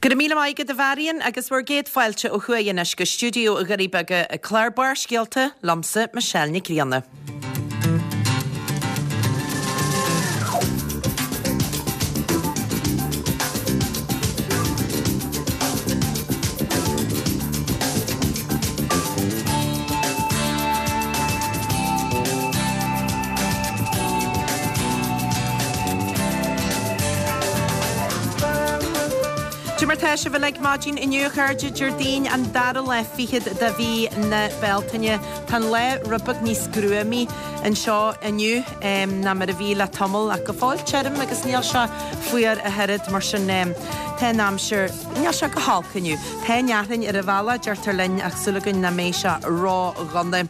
Go raibh míle maith agat a Mharion agus bhur gcéad fáilte ó thuaidh anois go stiúideo Dhoirí Beaga ag clár Barrscéalta liomsa Michelle Nic Grianna. Cad é mar tá sibh uilig maidin inniu a chairde, Déardaoin an dara lá fichead de mhí na Bealtaine. Tá an lá rud beag níos gruamaí anseo inniu ná mar a bhí le tamall ach go fóill tirim agus níl sé fuar ach oiread mar sin tá an aimsir, níl sé go holc inniu. Tá an fhearthainn ar an bhealach deirtear linn ach súil againn nach mbeidh sé ró-dhona.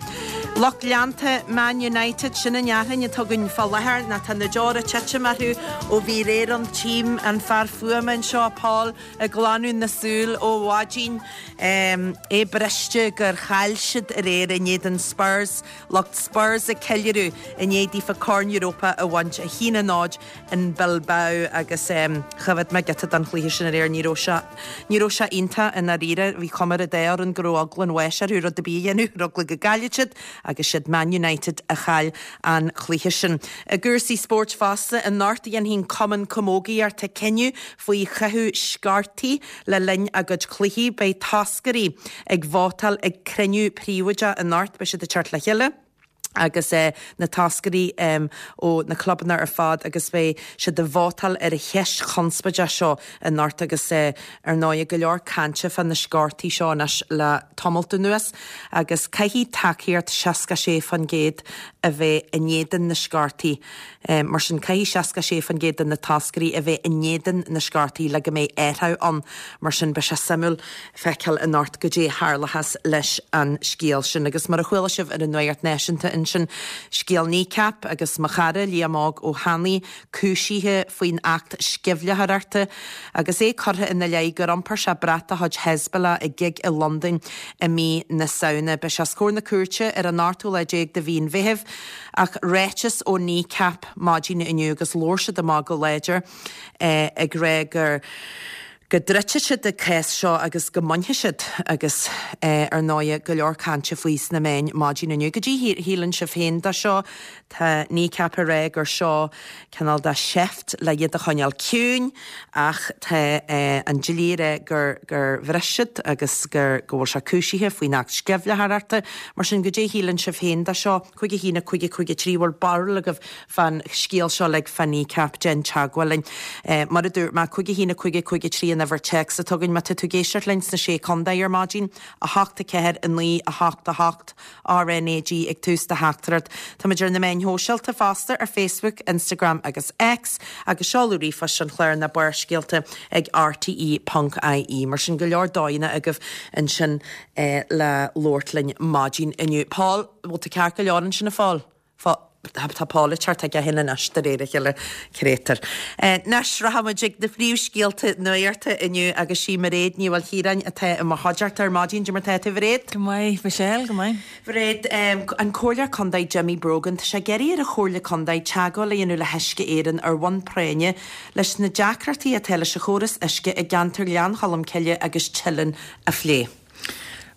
Lucht leanta Man United, sin an fhearthainn atá againn fá láthair nó tá na deora ag titim orthu ó bhí aréir ann. Tchím an fear fuaime anseo, Paul, ag glanadh na súl ó mhaidin. É briste gur chaill siad aréir in éadan Spurs. Lucht Spurs ag ceiliúradh i ndiaidh daofa Corn Europa a bhaint, 1-0 in Bilbao agus choimhéad mé giota den chluiche sin aréir, ní raibh sé, ní raibh sé iontach i ndáiríre, bhí cuma ar an dá fhoireann go raibh eagla an bháis orthu rud ar bith a dhéanamh, ar eagla go gcaillfeadh siad agus siad Man United a chaill an cluiche sin. I gcúrsaí spóirt fosta, anocht a dhéanfaidh an Cumann Camógaíochta cinneadh faoi chaitheamh sciortaí le linn a gcuid cluichí. Beidh toscairí ag vótáil ag cruinniú príobháideach anocht, beidh siad ag teacht le chéile. agus na toscairí ó na clubanna ar fad agus beidh siad ag vótáil ar an cheist chonspóideach seo anocht agus ar ndóigh go leor cainte fá na sciortaí seo anois le tamalt anuas agus caithfidh tacaíocht 66% a bheith in éadan na sciortaí. Mar sin caithfidh 66% de na toscairí a bheith in éadan na sciortaí le go mbeidh athrú ann. Mar sin beidh sé suimiúil feiceáil anocht goidé a tharlóchas leis an scéal sin. Agus mar a chuala sibh ar an Nuacht Náisiúnta ansin, scéal Kneecap agus mo chara Liam Óg Ó hAnnaidh cúisithe faoin Acht Sceimhlitheoireachta agus é curtha ina leith gur iompair sé brat de chuid Hezbollah ag gig i Londain i mí na Samhna. Beidh sé os comhair na cúirte ar an ochtú lá déag de mhí an Mheithimh. Ach ráiteas ó Kneecap maidin inniu agus labhair siad amach go láidir ag rá gur go dtroidfidh siad an cás seo agus go mbainfidh siad agus ar ndóighe go leor cainte faoi sna meáin maidin inniu. Goidé a shíleann sibh féin de seo? Tá Kneecap ag rá gur seo cineál de sheift le iad a choinneáil ciúin ach tá an dlí ag rá gur gur bhris siad agus gur go bhfuil sé cúisithe faoin Acht Sceimhlitheoireachta. Mar sin goidé a shíleann sibh féin de seo? 5 1 5 5 3 bhfuil barúil agaibh fán scéal seo uilig fá Kneecap, déan teagmháil linn. Mar a dúirt mé, 5 1 5 5 3 an uimhir téacs atá againn má tá tú ag éisteacht linn sna Sé Contae ar maidin, 8 4 9 8 8 RNAG ag tús do theachtaireacht. Táimid ar na meáin shóisialta fosta ar Facebook, Instagram agus X agus seoladh ríomhphoist an chláir ná Barrscéalta ag rte.ie. Mar sin go leor dóigheanna agaibh ansin le labhairt linn maidin inniu. Paul, bhfuil tú ceart go leor ansin a Phóil? Tá Paul ag teacht chuige féin anois de réir a chéile, créatúr. Anois, rachaidh muid ag na príomhscéalta nuachta inniu agus sí Mairéad Ní Mhaoilchiaráin atá i mo chuideachta ar maidin. Cad é mar tá tú, a Mhairéad? Go maith, Michelle, go maith. Mhairéad, an Comhairleoir Contae Jimmy Brogan, tá sé ag iarraidh ar an Chomhairle Contae teagmháil a dhéanamh le hUisce Éireann ar bhonn práinne leis na deacrachtaí atá leis an chóras uisce i gceantar Ghleann Cholm Cille agus Teileann a phlé.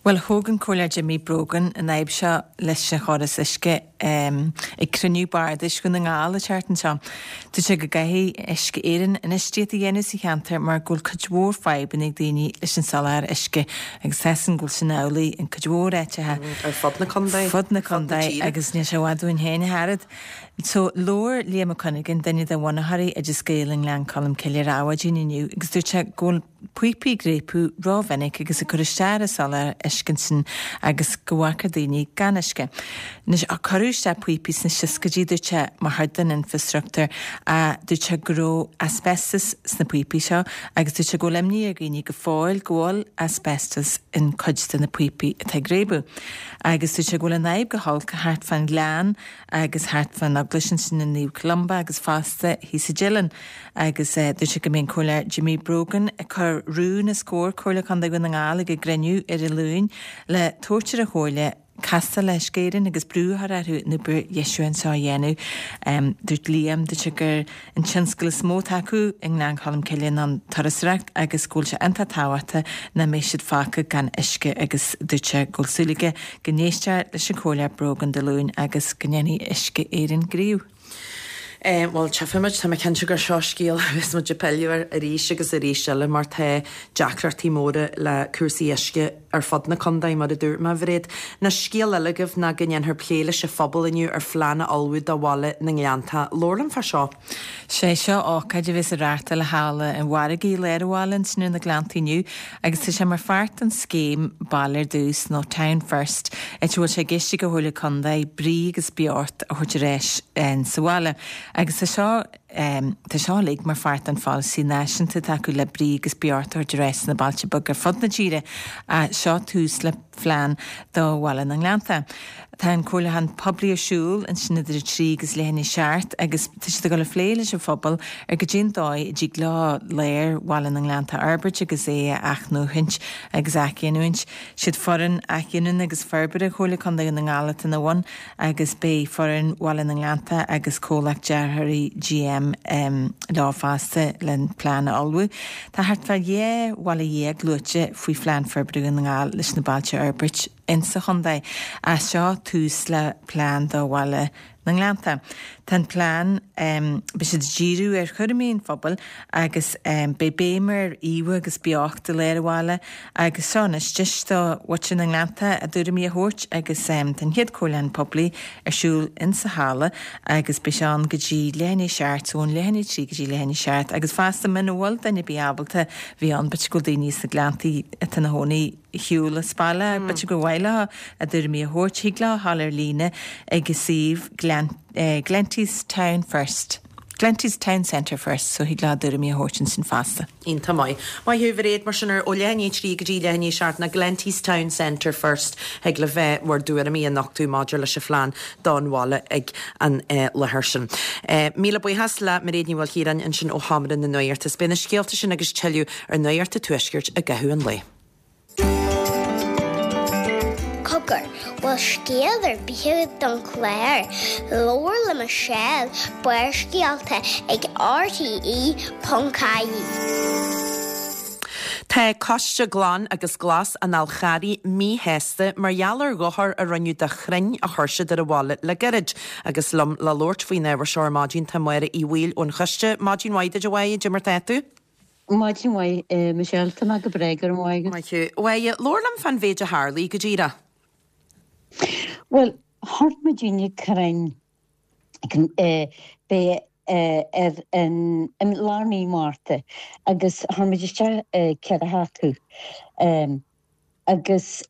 Bhuel, thóg an Comhairleoir Jimmy Brogan an fhadhb seo leis an chóras uisce ag cruinniú bardais Dhún na nGall an tseachtain seo. Dúirt sé go gcaithfidh Uisce Éireann infheistíocht a dhéanamh sa cheantar mar go bhfuil cuid mhór fadhbanna ag daoine leis an soláthar uisce agus tá 'fhios a'm go bhfuil sin amhlaidh in cuid mhór áiteacha Ar fud na contae. fud na contae agus níl sé i bhfad uainn féin ach oiread. So, labhair Liam Mac Cuinneagáin, duine de bhunaitheoirí Oideas Gael i nGleann Cholm Cille ar Adhmhaidin inniu agus dúirt sé go bhfuil píopaí ag réabadh rómhinic agus ag cur isteach ar an soláthar uisce ansin agus go bhfágfar daoine gan uisce. Anois, cuireadh isteach píopaí sna seascaidí, dúirt sé, mar chuid den infreastruchtúr ach dúirt sé go raibh asbestos sna píopaí seo agus dúirt sé go bhfuil imní ar dhaoine go fóill go bhfuil asbestos in cuid de na píopaí atá ag réabadh. Agus dúirt sé go bhfuil an fhadhb go holc thart fán ghleann agus thart fán eaglais ansin i Naomh Columba agus fosta thíos i dTeileann. Agus dúirt sé go mbeidh an Comhairleoir Jimmy Brogan ag cur rún os comhair Comhairle Contae Dhún na nGall ag a gcruinniú ar an Luain le tabhairt ar an Chomhairle. Castáil le Uisce Éireann agus brú a chur orthu an obair dheisiúcháin seo a dhéanamh. Dúirt Liam, dúirt sé gur an tionscal is mó atá acu i nGleann Cholm Cille ná an turasóireacht agus go bhfuil sé iontach tábhachtach nach mbeidh siad fágtha gan uisce agus dúirt sé go bhfuil súil aige go n-éistfear leis an Chomhairleoir Brogan Dé Luain agus go ndéanfaidh Uisce Éireann gníomh. Bhuel, tchífimid, tá mé cinnte gur seo scéal a bheas muid ag pilleadh air arís agus arís eile mar tá deacrachtaí móra le cúrsaí uisce ar fud na contae, mar a dúirt mé, a Mhairéad. Anois, scéal eile agaibh ná go ndéanfar plé leis an phobal inniu ar phlean a ullmhú do bhaile na nGleanntach. Labhair liom fá seo. Sé seo ócáid a bheas á reáchtáil i Halla an Mhargaidh i lár an bhaile ansin ar na Gleanntaí inniu agus tá sé mar pháirt den scéim Baile ar dTús nó Town First áit a bhfuil sé i gceist ag an Chomhairle Contae brí agus beocht a thabhairt ar ais sa bhaile agus tá seo tá seo uilig mar pháirt den pholasaí náisiúnta atá acu le brí agus beocht a thabhairt ar ais sna bailte beaga ar fud na tíre. Seo tús le phlean do Bhaile na nGleannta. Tá an comhairliúchán poiblí ar siúl ansin idir 3 agus leath i ndiaidh 7 agus tá siad ag dul a phlé leis an phobal ar goidé an dóigh a dtig leo lár Bhaile na nGleannta a fhorbairt agus é a athnuachaint agus a athghiniúint. Siad foireann athghiniúna agus forbartha Chomhairle Contae Dhún na nGall atá ina bhun agus beidh foireann Bhaile na nGleannta agus comhlacht dearthóirí GM leo fosta len plean a ullmhú. Tá thart fá 12 bhaile luaite faoi Phlean Forbartha Dhún na nGall leis na bailte a fhorbairt insa chontae. As seo tús le plean do Bhaile na nGleannta. Tá an plean, beidh siad ag díriú ar chúraimí an phobail agus beidh béim ar íomha agus beocht i lár an bhaile agus seo anois deis do mhuintir na nGleannta a dtuairimí a thabhairt agus tá an chéad comhairliúchán poiblí ar siúl insa halla agus beidh sé ann go dtí leath i ndiaidh a seacht, so ón leath i ndiaidh a trí go dtí leath i ndiaidh a seacht agus fosta muna bhfuil duine ar bith ábalta bheith ann b'fhéidir go bhfuil daoine sna Gleanntaí atá ina chónaí ar shiúl as baile, b'fhéidir gur mhaith leo a dtuairimí a thabhairt, thig leo a ghabháil ar líne ag an suíomh Glenties Town First. Glenties Town Centre First, so thig leo a dtuairimí a thabhairt ansin fosta. Iontach maith. Maith thú, a Mhairéad, mar sin ar ó leath i ndiaidh a 3 go dtí leath i ndiaidh a 7 ná Glenties Town Centre First thig libh bhur dtuairimí a nochtadh maidir leis an phlean don bhaile ag an láthair sin. Míle buíochas le Mairéad Ní Mhaoilchiaráin ansin ó Sheomra na Nuachta. Is beidh na scéalta sin agus tuilleadh ar Nuacht an Tuaiscirt i gcaitheamh an lae. Cogar, bhfuil scéal ar bith agat don chlár? Labhair le Michelle, Barrscéalta ag rte.ie. Tá Coiste Glan agus Glas an Fháil Charraigh míshásta mar gheall ar dhochar a rinneadh do chrainn a chuir siad ar an bhaile le gairid. Agus liom le labhairt faoin ábhar seo ar maidin tá Máire Uí Bhaoill ón choiste. Maidin mhaith duit a Mháire, goidé mar tá tú? Maidin mhaith, Michelle. Tá mé go breá, go raibh maith agat. Maith thú. A Mháire, labhair liom fán mhéid a tharlaigh, go díreach. Bhuel, chuir muidinne crainn b'é ar an i lár mí Márta agus chuir muid isteach 4 acu agus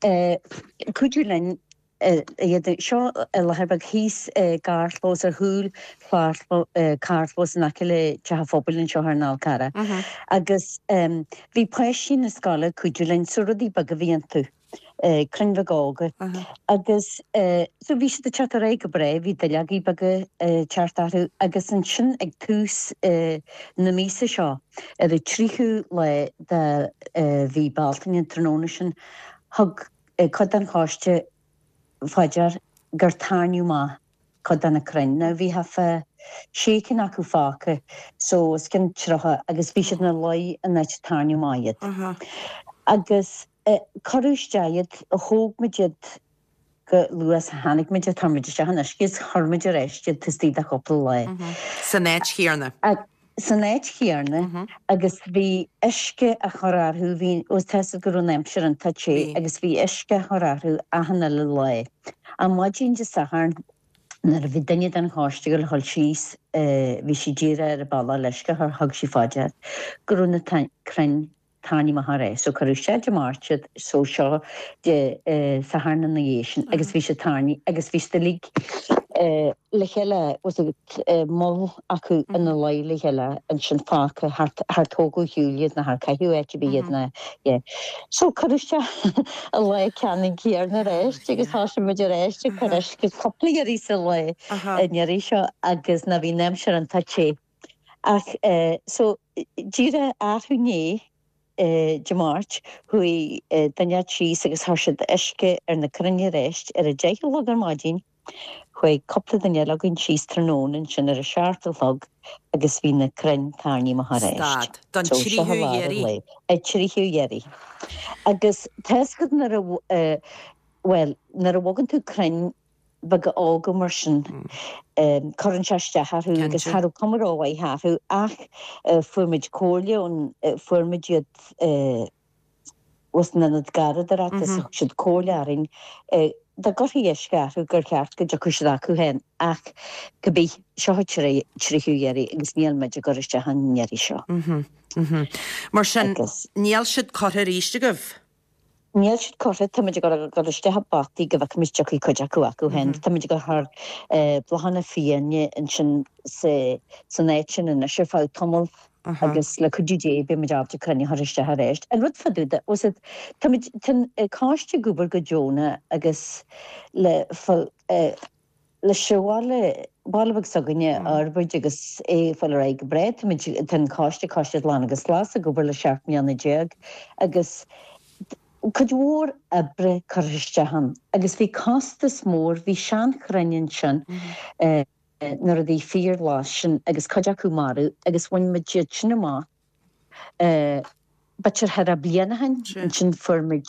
cuidiú linn iad seo i láthair bheag thíos i gcarrchlós ar chúl carrchlós in aice le Teach an Phobail anseo ar an Fhál Carrach agus bhí páistí na scoile ag cuidiú linn so rudaí beaga a bhí iontu, crainn bheaga óga agus so bhí siad ag teacht ar aghaidh go breá, bhí duilleogaí beaga ag teacht orthu agus ansin ag tús na míosa seo ar an 30ú lá de mhí Bealtaine an tráthnóna sin thug cuid den choiste fá dear gur tairníodh amach cuid de na crainn. Now bhí thart fá sé cinn acu fágtha so os cionn 30 agus bhí siad ina luí an áit a tairníodh amach iad. Agus cuireadh isteach iad, thóg muid iad chomh luath is a tháinig muid, chuir muid isteach in uisce is chuir muid ar ais iad taobh istigh de chúpla lá. San áit chéanna? san áit chéanna agus bhí uisce á chur orthu, bhí, tá a fhios agat go raibh an aimsir iontach te agus bhí uisce á chur orthu achan uile lá. Ar maidin Dé Sathairn nuair a bhí duine den choiste ag dul síos, bhí sí díreach ar a bealach le uisce a chur, thug sí fá dear go raibh na crainn tarraingthe amach aréir. So cuireadh isteach Dé Máirt iad so seo Dé Sathairn ina dhiaidh sin agus bhí siad tarraingthe agus bhí siad uilig le chéile was it moll acu ina luí le chéile ansin fágtha char tógadh ar shiúl iad ná char caitheadh áit ar bith iad ná yeah. So cuireadh isteach an lá ceannann céanna arís agus thosaigh muid arís ag cur uisce cúpla iarraidh sa lá an iarraidh seo agus ná bhí an aimsir iontach te. Ach so díreach arú inné. Dé Máirt, chuaigh duine inteacht síos agus chuir siad uisce ar na crainn aríst ar a 10 a chlog ar maidin. Chuaigh cúpla duine eile againn síos tráthnóna ansin ar a seacht a chlog agus bhí na crainn tarraingthe amach aríst. Stad. Don So seo tríú i lár an iarraidh. lae. An tríú iarraidh. Agus tá's agat nuair a, bhuel, nuair a bhogann tú crainn beaga óga mar sin, cuireann sé isteach orthu agus Cinnte. cha raibh cuma rómhaith orthu ach fuair muid comhairle ón, fuair muid iad, ós an ionad garraíodóireachta is thug siad comhairle orainn dá gcuirfí uisce orthu gur cheart go dtiocfadh siad acu féin ach cibé, seo an tríú iarraidh agus níl muid ag cur isteach an iarraidh seo. Mar sin, níl siad curtha arís agaibh? Níl siad curtha, tá muid ag dul isteach i bpotaí go bhfeicfimid dtiocfaidh cuid acu acu féin. Tá muid ag cur bláthanna fiáine ansin san áit sin anois ar feadh tamaill agus le cuidiú Dé beidh muid ábalta crainn a chur isteach arís. An rud fá dtaobh de, bhfuil 's a'd, tá muid, tá an coiste ag obair go deonach agus le, leis an bhaile, baile beag s'againne a fhorbairt agus é ag fáil ar aghaidh go breá. Tá muid, tá an coiste, Coiste Glan agus Glas, ag obair le 17 mbliana agus cuid mhór oibre curtha isteach ann agus bhí costas mór, bhí seanchrainn ansin, na rudaí fíorghlas sin agus cuid acu marbh agus bhain muid iad sin amach b'fhéidir cheithre bliana ó shin. Ansin fuair muid,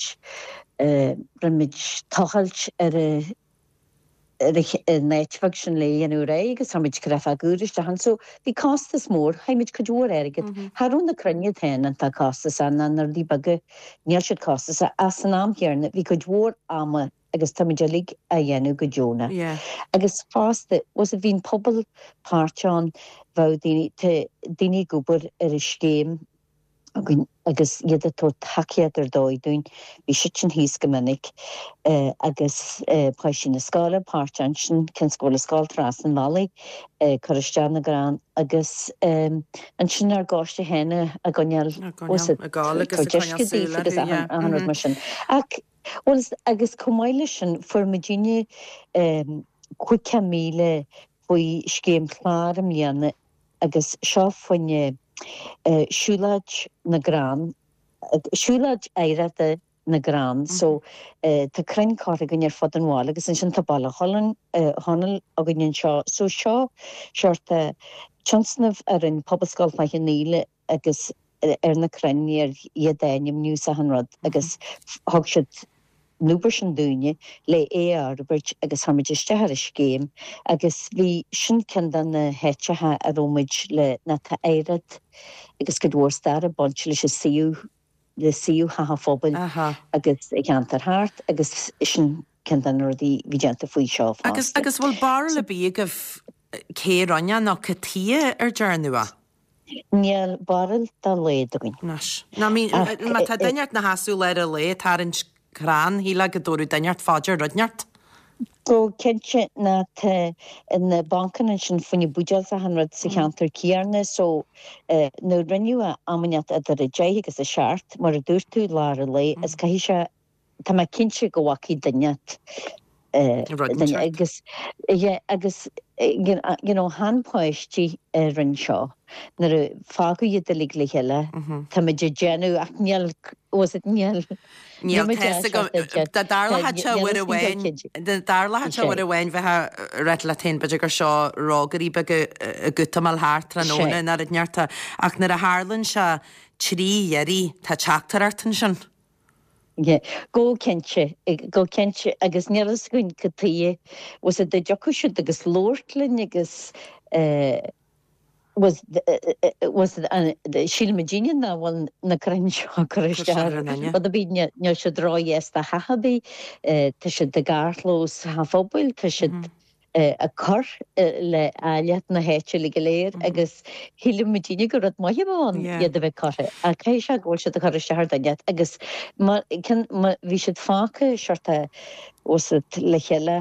rinne muid tochailt ar an áit bheag sin le é a dhéanamh réidh agus chuir muid créafóg úr isteach ann. So bhí costas mór, chaith muid cuid mhór airgid. Cha raibh na crainn iad féin iontach costasach ná na rudaí beaga, níl siad costasach ach san am chéanna bhí cuid mhór ama agus táimid uilig á dhéanamh go deonach. Agus fosta, bhfuil 's a'd, bhí an pobal páirteach ann, bheadh daoine, tá daoine ag obair ar an scéim againn agus iad ag tabhairt tacaíocht ar dóigh dúinn, bhí siadsan thíos go minic agus páistí na scoile páirteach ansin, cionn is go bhfuil an scoil trasna an bhealaigh, ag cur isteach na gcrann agus ansin ár gcoiste féin á gcoinneáil, bhfuil 's a'd, Ag gabháil agus ag tabhairt coinneáil uisce súil daofa agus orthu, yeah. achan rud mar sin. Ach Bhuel, agus chomh maith leis sin, fuair muidinne 50,000 faoi scéim chlár i mbliana agus seo fá choinne siúlóid na gcrann, siúlóid oidhreachta na gcrann. So tá crainn curtha againn ar fud an bhaile agus ansin tá Baile Chonaill againn anseo. So seo seort tionscnamh a rinne Pobalscoil Chloich Cheann Fhaola agus ar na crainn ar iad a ainmniú is achan rud agus thug siad an obair sin dúinne le é a fhorbairt agus chuir muid isteach ar an scéim agus bhí sin ceann de na háiteacha a raibh muid le ná tá oidhreacht agus cuid mhór stair ag baint leis an suíomh le suíomh Theach an Phobail agus an cheantar thart agus sin ceann de na rudaí a bhí déanta faoi seo Agus fosta. agus bhfuil barúil ar bith agaibh cé a rinne nó cad chuige ar dearnadh é? Níl barúil dá laghad againn. Anois. Ná I mean, má tá duine inteacht 'na sheasamh i lár an lae ag tarraingt crann, shílfeá go dtabharfadh duine inteacht fá dear rud inteacht. Go cinnte ná tá na bancanna ansin fá choinne buidéil is achan rud sa cheantar céanna so nuair rinneadh é am inteacht idir a deich agus a seacht mar a dúirt tú lár an lae is caithfidh sé tá mé cinnte go bhfacaidh duine duine agus yeah agus you know chan páistí a rinne seo nuair a fágadh iad uilig le chéile tá muid ag déanamh ach níl was it níl Níl fhios agam dá dtarlódh sé uair amháin dá dtarlódh sé uair amháin bheifeá ag rá leat féin b'fhéidir gur seo rógairí beaga ag útamáil thart tráthnóna nó rud inteacht ach nuair a tharlaíonn sé trí iarraidh tá teachtaireacht ansin. Yeah, go cinnte, go cinnte agus níl fhios againn cad tuighe, was it dá dtiocfadh siad agus labhairt linn agus eh was was síleann muidinne nach bhfuil na crainn seo curtha isteach ar rud ar bith, níl siad ródheas do theach ar bith, tá siad i gcarrchlós Theach an Phobail, tá siad ag cur le áilleacht na háite uilig go léir agus shíl muidinne gur rud maith a bheadh ann iad a bheith curtha ach caithfidh sé go bhfuil siad ag cur isteach ar dhuine agus bhí siad fágtha sort of was it le chéile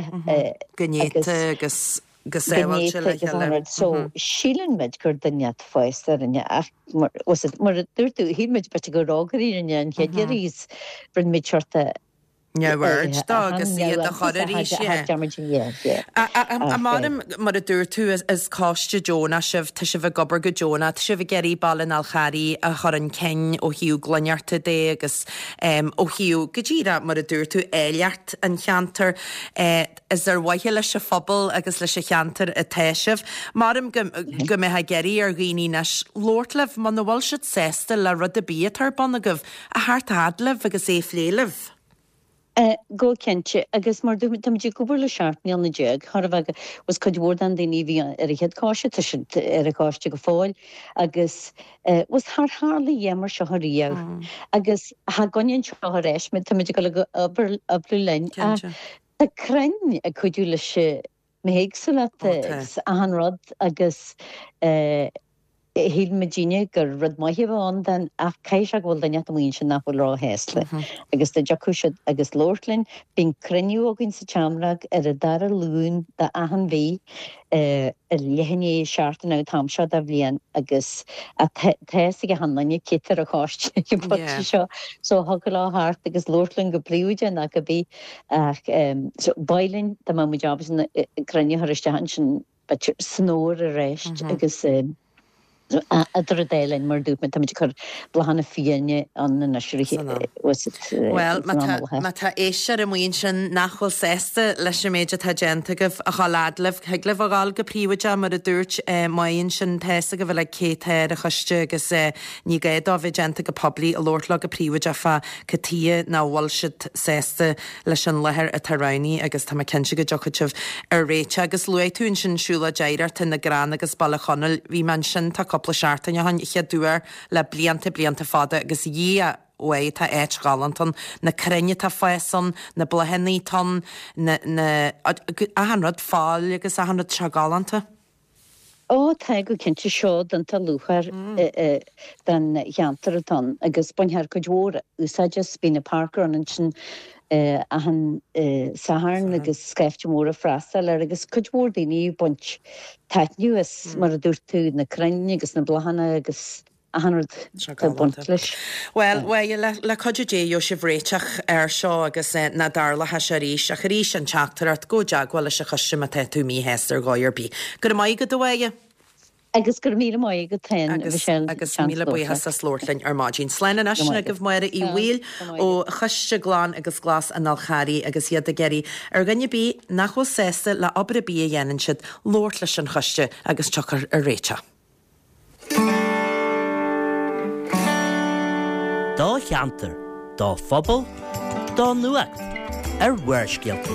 Go néata agus go sábháilte le chéile. So síleann muid gur duine fásta a rinne ach was it mar a dúirt tú shíl muid b'fhéidir gur rógairí a rinne an chéad iarraidh is rinne muid sort of. Neamhaird dó agus iad a chur arís, yeah. Maram, mar a dúirt tú, is coiste deonach sibh, tá sibh ag obair go deonach, tá sibh ag iarraidh Baile an Fháil Charraigh a chur chun cinn ó thaobh glaineachta de agus ó thaobh, go díreach mar a dúirt tú, áilleacht an cheantair. Is ar mhaithe leis an phobal agus leis an cheantar atá sibh. Maram go mbeifeá ag iarraidh ar dhaoine anois labhairt libh muna bhfuil siad sásta le rud ar bith atá ar bun agaibh, a theacht a fhad libh agus é a phlé libh. Go cinnte, agus mar dúirt mé, táimid ag obair le 17 mbliana, chóir a bheith, agus cuid mhór den daoine a bhí ar an chéad choiste, tá siad ar an choiste go fóill, agus bhuel char tharla a dhath mar seo ariamh, agus cha gcoinníonn seo ar ais muid, táimid ag dul ag obair, oibriú linn, ach tá crainn ag cuidiú leis an mbithéagsúlacht agus achan rud agus shíl muidinne gur rud maith a bheadh ann den ach caithfidh sé go bhfuil duine amuigh ansin nach bhfuil róshásta agus dá dtiocfadh siad agus labhairt linn. Bíonn cruinniú againn sa tSeomra ar an dara Luan d'achan mhí ar leath i ndiaidh a seacht an t-am seo de bhliain agus tá a fhios ag achan duine cé atá ar an choiste ag an bpointe seo so thiocfadh leo theacht agus labhairt linn go príobháideach nó cibé Ach so b'áil linn dá mbeadh muid ábalta na crainn a chur isteach ansin b'fhéidir san fhómhar arís agus idir an dá linn mar a dúirt mé táimid ag cur bláthanna fiáine ann anois Bhuel, má tá éisteoir amuigh ansin nach bhfuil sásta leis an méid atá déanta agaibh, a dhul fhad libh, thig libh a dhul go príobháideach mar a dúirt Moya ansin, tá fhios agaibh uilig cé atá ar an choiste agus ní gá dó bheith déanta go poiblí, a labhairt leo go príobháideach fá cad tuighe nach bhfuil siad sásta leis an láthair atá roghnaithe agus tá mé cinnte go dtiocfaidh sibh ar réiteach. Agus luaigh tú ansin Siúlóid Oidhreachta na gCrann agus Baile Chonaill. Bhí mé ansin tá cúpla seachtain ó shin, chéad uair le blianta, blianta fada agus Dhia uaidh, tá áit ghalánta ann. Na crainn atá ag fás ann, na bláthanna atá ann, na, na, achan rud, faill agus achan rud, tá sé galánta. Ó, tá go cinnte, seod iontach luachmhar don cheantar atá ann agus baintear cuid mhór úsáid as. Bíonn an parkrun ansin achan Satharn agus scaifte mór ag freastal air agus cuid mhór daoine ag baint taitneamh as, mar a dúirt tú, na crainn agus na bláthanna agus achan rud atá ag baint leis. Bhuel, bhuel, le cuidiú Dé gheobhaidh sibh réiteach air seo agus nach dtarlóidh sé arís. Ach arís, an teachtaireacht, gabh i dteagmháil leis an choiste má tá tú míshásta ar dhóigh ar bith. Go raibh maith agat, a Mháire. Agus go raibh míle maith agat féin, a Mhichelle. Agus míle buíochas as labhairt linn ar maidin. Slán anois, sin agaibh Máire Uí Bhaoill ó Choiste Glan agus Glas an Fháil Charraigh agus iad ag iarraidh ar dhuine ar bith nach bhfuil sásta le obair ar bith a dhéanann siad, labhairt leis an choiste agus tiocfar ar réiteach. Do cheantar, do phobal, do nuacht ar Bharrscéalta.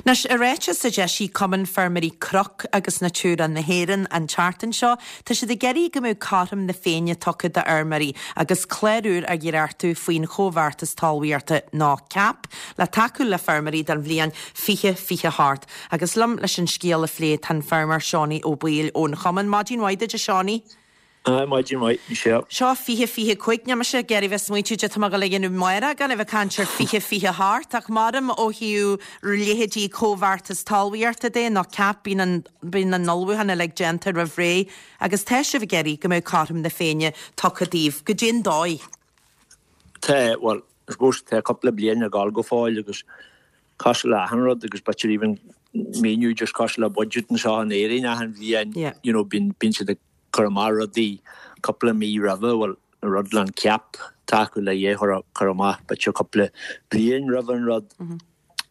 Anois, i ráiteas a d'eisigh Cumann Feirmeoirí Cnoc agus Natura na hÉireann an tseachtain seo, tá siad ag iarraidh go mbeadh cothrom na Féinne tugtha d'fheirmeoirí agus clár úr á dhréachtú faoin Chomhbheartas Talmhaíochta nó cap le tacú le feirmeoirí don bhliain 2028. Agus liom leis an scéal a phlé tá an feirmeoir Seánie Ó Baoill ón Chumann. Maidin mhaith duit a Seánie. Aye, maidin mhaith, Michelle. Seo 2025, níl mise ag iarraidh bheith smaointiú caidé atá mé ag dul a dhéanamh amárach gan a bheith ag caint ar 2028 ach maram ó thaobh leithéidí comhbheartas talmhaíochta de nó cap bíonn an bíonn na n-ullmhúcháin uilig déanta roimh ré agus tá sibh ag iarraidh go mbeadh cothrom na Féinne tugtha daoibh. Goidé an dóigh. Tá, bhuel, I suppose tá cúpla bliain ag dul go fóill agus cosúil le achan rud agus b'fhéidir even míniú just cosúil le budget anseo in Éirinn achan bhliain you know bíonn bíonn siad ag cur amach rudaí cúpla mí roimhe bhuel an rud le an cap tá acu le é chur cur amach b'fhéidir cúpla bliain roimhe an rud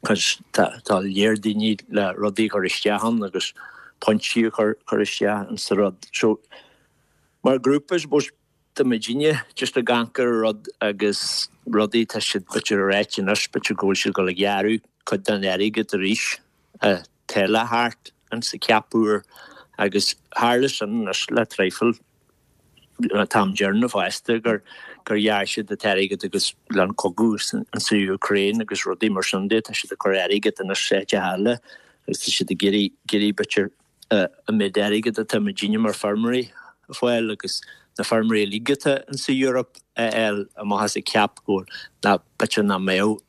cos tá tá léir daoine le rudaí a chur isteach ann agus pointí a chur cur isteach in sa rud so mar grúpa I suppose Tá muidinne just ag amharc ar an rud agus rudaí, tá siad b'fhéidir ag ráit anois, b'fhéidir go bhfuil siad ag dul ag gearradh cuid den airgead arís atá le theacht insa cap úr agus tharla sin anois le traidhfil an t-am deireanach fosta gur gur ghearr siad an t-airgead agus le an cogadh insa Ukraine agus rudaí mar sin de, tá siad ag cur airgead anois áiteacha eile agus tá siad ag iarraidh iarraidh b'fhéidir an méid airgid atá muidinne mar feirmeoirí a fáil agus na feirmeoirí uilig atá insa Europe a fháil amach as an cap go bhfuil ná b'fhéidir nach mbeadh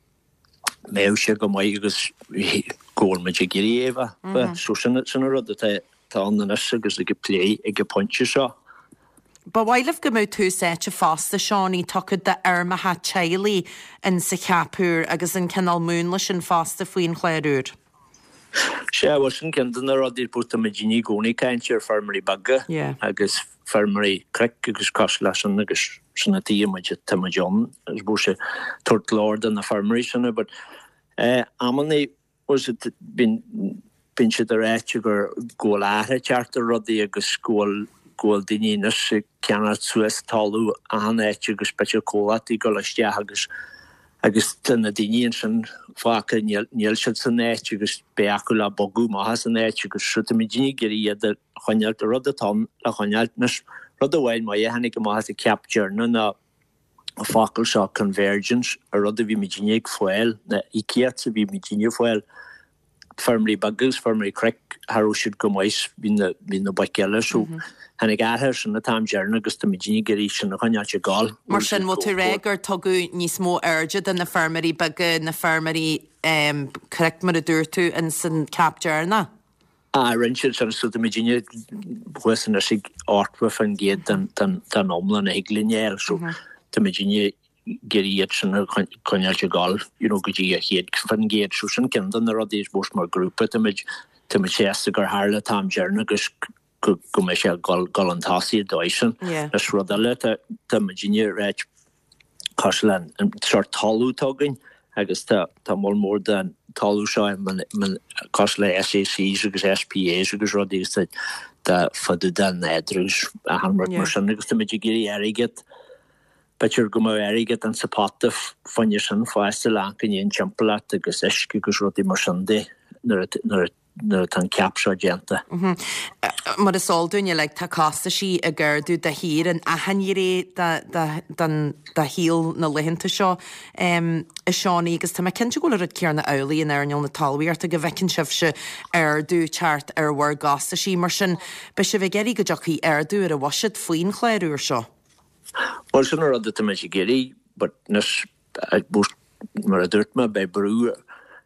mbeadh sé go maith agus go bhfuil muid ag iarraidh é a bheith. So sin sin an rud atá atá ann anois agus ag plé ag an pointe seo. Ba mhaith libh go mbeadh tús áite fosta, Seánie, tugtha d'fheirmeacha teaghlaigh in sa cheap úr agus an cineál múnla sin fosta faoin chlár úr. Sea, bhuel sin ceann de na rudaí, I suppose tá muidinne i gcónaí ag caint ar feirmeoirí beaga agus feirmeoirí cnoic agus cosúil leis sin agus sin an tuige muid, tá muid ann, I suppose, ag tabhairt glór do na feirmeoirí sin but eh amannaí was it bíonn bíonn siad ag ráit gur go bhfuil athrú ag teacht ar rudaí agus go bhfuil go bhfuil daoine anois ag ceannacht suas talamh achan áit agus b'fhéidir comhlachtaí ag dul isteach agus agus tá na daoine ansin fágtha níl níl siad san áit agus beidh acu le bogadh amach as an áit agus so tá muidinne ag iarraidh iad a choinneáilt rud atá ann le choinneáilt anois rud amháin maith a tháinig amach as an ceap deireanach ná an focal seo convergence, an rud a bhí muidinne ag fáil, na íocaíocht a bhí muidinne ag fáil, feirmeoirí beaga agus feirmeoirí cnoic, cha raibh siad chomh maith is bhí na, bhí na boic eile. So tháinig athrú ar sin an t-am deireanach agus tá muidinne ag iarraidh sin a choinneáilt ag gabháil. Mar sin, bhfuil tú ag rá gur tugadh níos mó airde do na feirmeoirí beaga, na feirmeoirí cnoic mar a dúirt tú, in san ceap deireanach? Ah, rinne siad sin so tá muidinne thuas anois ag 80% den den den iomlán a thig linn a fháil so tá muidinne ag iarraidh iad sin a choinneáilt ag gabháil you know go dtí a 100% so sin ceann de na rudaí I suppose mar grúpa tá muid tá muid sásta gur tharla an t-am deireanach agus go go mbeidh sé ag dul dul chun tosaigh an dóigh sin. Is rud eile tá tá muidinne ag ráit cosúil le an sórt talamh atá againn agus tá tá moll mór den talamh seo cosúil le SACs agus SPAs agus rudaí agus tá tá fá dtaobh den nádúr agus achan rud mar sin agus tá muid ag iarraidh airgead b'fhéidir go mbeadh airgead insa pota fá choinne sin fosta le amharc i ndiaidh an timpeallacht agus uisce agus rudaí mar sin de nuair a nuair a nuair atá an ceap seo déanta. Mar is eol dúinn uilig, tá costaisí ag ardú de shíor in achan ghné de shaol na laethanta seo, a Seánie, agus tá mé cinnte go bhfuil an rud céanna amhlaidh in earnáil na talmhaíochta, go bhfeiceann sibhse ardú teacht ar bhur gcostaisí. Mar sin, beidh sibh ag iarraidh go dtiocfaidh ardú ar an bhuiséad faoin chlár úr seo. Bhuel, sin an rud atá muid ag iarraidh, but anois, Mar a dúirt mé, beidh brú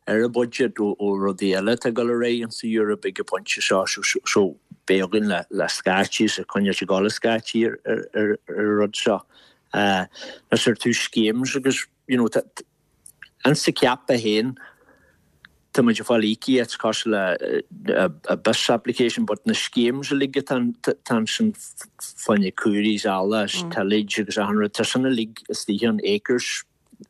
ar an budget ó rudaí eile atá ag dul ar aghaidh insa Eoraip ag an bpointe seo so beidh againn le scaití is ag coinneáilt ag dul scaití ar an rud seo. Anois ar tús schemes agus you know insa ceap é féin Tá muid ag fáil íocaíocht cosúil le a BIS application but na schemes uilig atá ansin fá choinne caoirigh is eala is tillage agus achan rud, tá sin uilig istigh ann, acres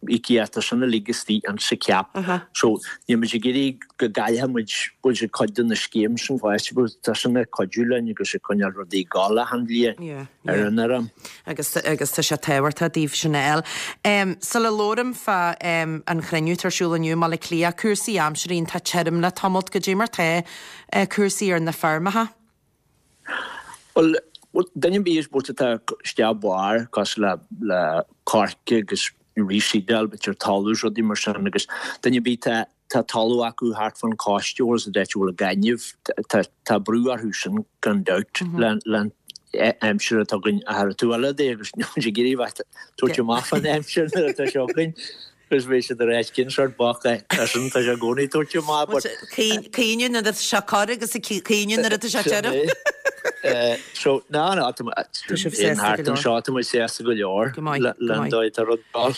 íocaíocht, tá sin uilig istigh insa ceap. So níl muid ag iarraidh go gcaillfidh muid bhfuil cuid de na schemes sin fosta but tá sin ag cuidiú linn agus ag coinneáil rudaí ag gabháil achan bhliain ar an fheirm. Agus agus tá sé tábhachtach daoibh sin a fháil. Sula labhraim fá an chruinniú atá ar siúl inniu i mBaile Átha Cliath, cúrsaí aimsire, iontach tirim le tamalt, goidé mar tá cúrsaí ar na feirmeacha? Bhuel, duine ar bith I suppose atá isteach barr cosúil le le coirce agus reseedáil, b'fhéidir talamh is rudaí mar sin agus duine ar bith atá Tá talamh acu thart fán chósta agus an áit a bhfuil an gaineamh. Tá brú orthu sin gan dabht le aimsir atá againn a thabhairt eile di agus níl muid ag iarraidh bheith tabhairt amach fán aimsir nuair atá sé againn agus beidh siad ar ais cén sórt boc é sin tá sé i gcónaí tabhairt amach but Caoineadh nuair atá sé corr agus caoineadh nuair atá sé tirim. So ná ná tá sibh sásta go leor. Anseo tá muid sásta go leor le an dóigh atá rud dul.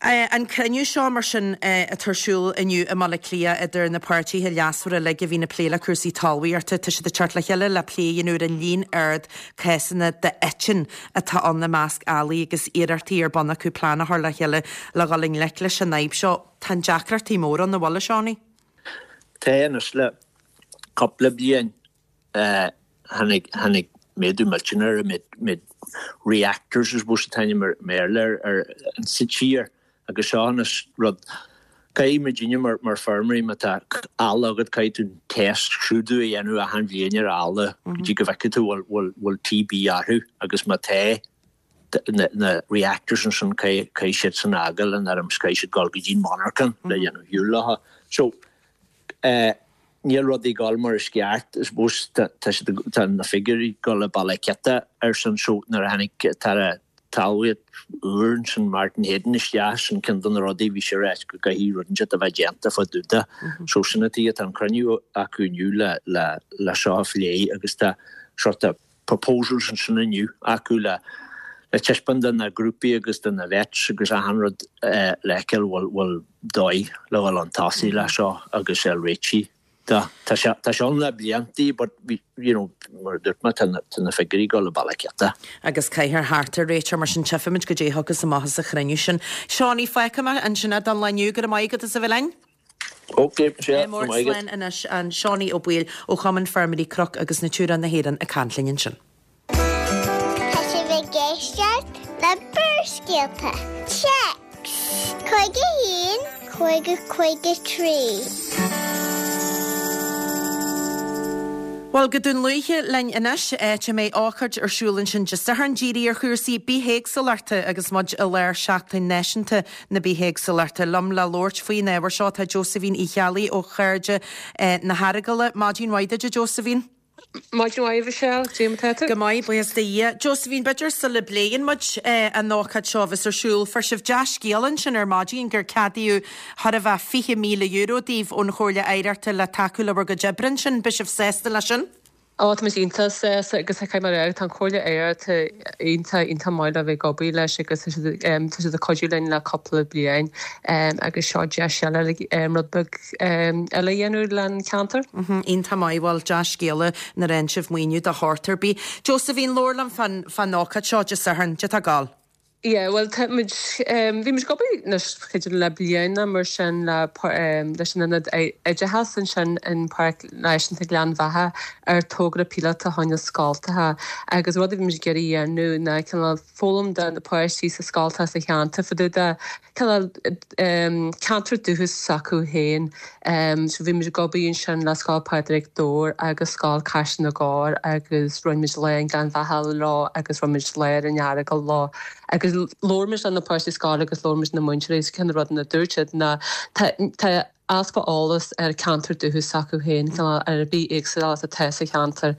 An cruinniú seo, mar sin, atá ar siúl inniu i mBaile Átha Cliath idir na páirtithe leasmhara uilig a bhíonn ag plé le cúrsaí talmhaíochta, tá siad ag teacht le chéile le plé a dhéanamh ar an líon ard cásanna d'eitinn atá ann i measc eallaigh agus iarrachtaí ar bun acu plean a chur le chéile le dhul i ngleic leis an fhadhb seo. Tá an deacrachtaí mór ann, an bhfuil, a Seánie? Tá, anois le cúpla bliain. Tháinig, tháinig méadú millteanach ar an méid, méid reactors I suppose an t-ainm i mBéarla ar, ar, insa tír agus seo anois rud, caithfidh muidinne mar, mar feirmeoirí má tá ealla agat caithfidh tú an test scrúdú a dhéanamh achan bhliain ar ealla go dtí go bhfeicfidh tú bhfuil, bhfuil, bhfuil TB orthu agus má tá na, na reactors ansin caithfidh, caithfidh siad sin a fhágáil an fheirm is caithfidh siad dul go dtí an monarchan le dhéanamh shiúl leo. So, eh. Níl rudaí ag dul mar is ceart, I suppose tá siad, tá na figiúirí ag dul ag bealach ciotach ar sin so nuair a tháinig an tAire Talmhaíochta úr ansin Martin Heydon isteach sin ceann de na rudaí bhí sé ag ráit go gcaithfidh rud inteacht a bheith déanta fá dtaobh de. So sin an tuige tá an cruinniú acu inniu le le le seo a phlé agus tá sort of. proposals ansin inniu acu le le taispeáint do na grúpaí agus do na vets agus achan rud le feiceáil bhfuil bhfuil dóigh le dhul chun tosaigh le seo agus é a réitigh. Tá tá sé tá sé ann le bliantaí but bhí you know mar a dúirt mé tá na tá na figiúirí ag dul an bealach ciota. Agus caithfear thart ar réiteach mar sin tchífimid goidé a thiocfas amach as an chruinniú sin. Seánie, fágfaidh mé ansin é don lá inniu. Go raibh maith agat as a bheith linn. Ok, sea, go raibh maith agat. Slán anois, an Seánie Ó Baoill ó Chumann Feirmeoirí Cnoc agus Natura na hÉireann ag caint linn ansin. Tá sibh ag éisteacht le Barrscéalta. Téacs 51 50 53. Bhuel, go Dún Lúiche linn anois, áit a mbeidh ócáid ar siúl ansin Dé Sathairn dírithe ar chúrsaí bithéagsúlachta agus muid i lár Seachtain Náisiúnta na Bithéagsúlachta. Liom le labhairt faoin ábhar seo tá Josephine Uí Cheallaigh ó Chairde na hEaragaile. Maidin mhaith duit, a Josephine. Maidin mhaith, a Mhichelle. Cad é mar tá tú? Go maith, buíochas do Dhia. Josephine, b'fhéidir sula bpléann muid an ócáid seo a bheas ar siúl, fuair sibh dea-scéala ansin ar maidin gur ceadaíodh chóir a bheith €20,000 daoibh ón Chomhairle Oidhreachta le tacú le bhur gcuid oibre ansin. Beidh sibh sásta leis sin? Ó, tá muid iontach sásta agus caithfidh mé a rá, tá an Chomhairle Oidhreachta iontach, iontach maith le bheith ag obair leis agus tá siad, tá siad ag cuidiú linn le cúpla bliain agus seo deis eile le rud beag eile a dhéanamh len ceantar. Iontach maith, bhuel dea-scéala nuair a fhaigheann sibh maoiniú de shórt ar bith. Josephine, labhair liom fán fán ócáid seo Dé Sathairn, cad é atá ag gabháil. Yeah, bhuel tá muid, bhí muid ag obair anois b'fhéidir le bliain nó mar sin le leis an Ionad Oideachais ansin in Páirc Náisiúnta Ghleann Bheatha ar togra píolóta fá choinne scoltacha agus rud a bhí muid ag iarraidh a dhéanamh ná cineál foghlaim do na páistí sa scoltacha sa cheantar fá dtaobh de cineál ceantar dúchais s'acu féin. So bhí muid ag obair ansin le Scoil Phádraig Dobhair agus Scoil Caiseal na gCorr agus rinne muid lá i nGleann Bheatha leo agus rinne muid lá ar an Earagail leo agus labhair muid le na páistí scoile agus labhair muid le na múinteoirí agus ceann de na rudaí a dúirt siad ná tá tá easpa eolas ar ceantar dúchais s'acu féin, cineál ar an bithéagsúlacht atá sa cheantar.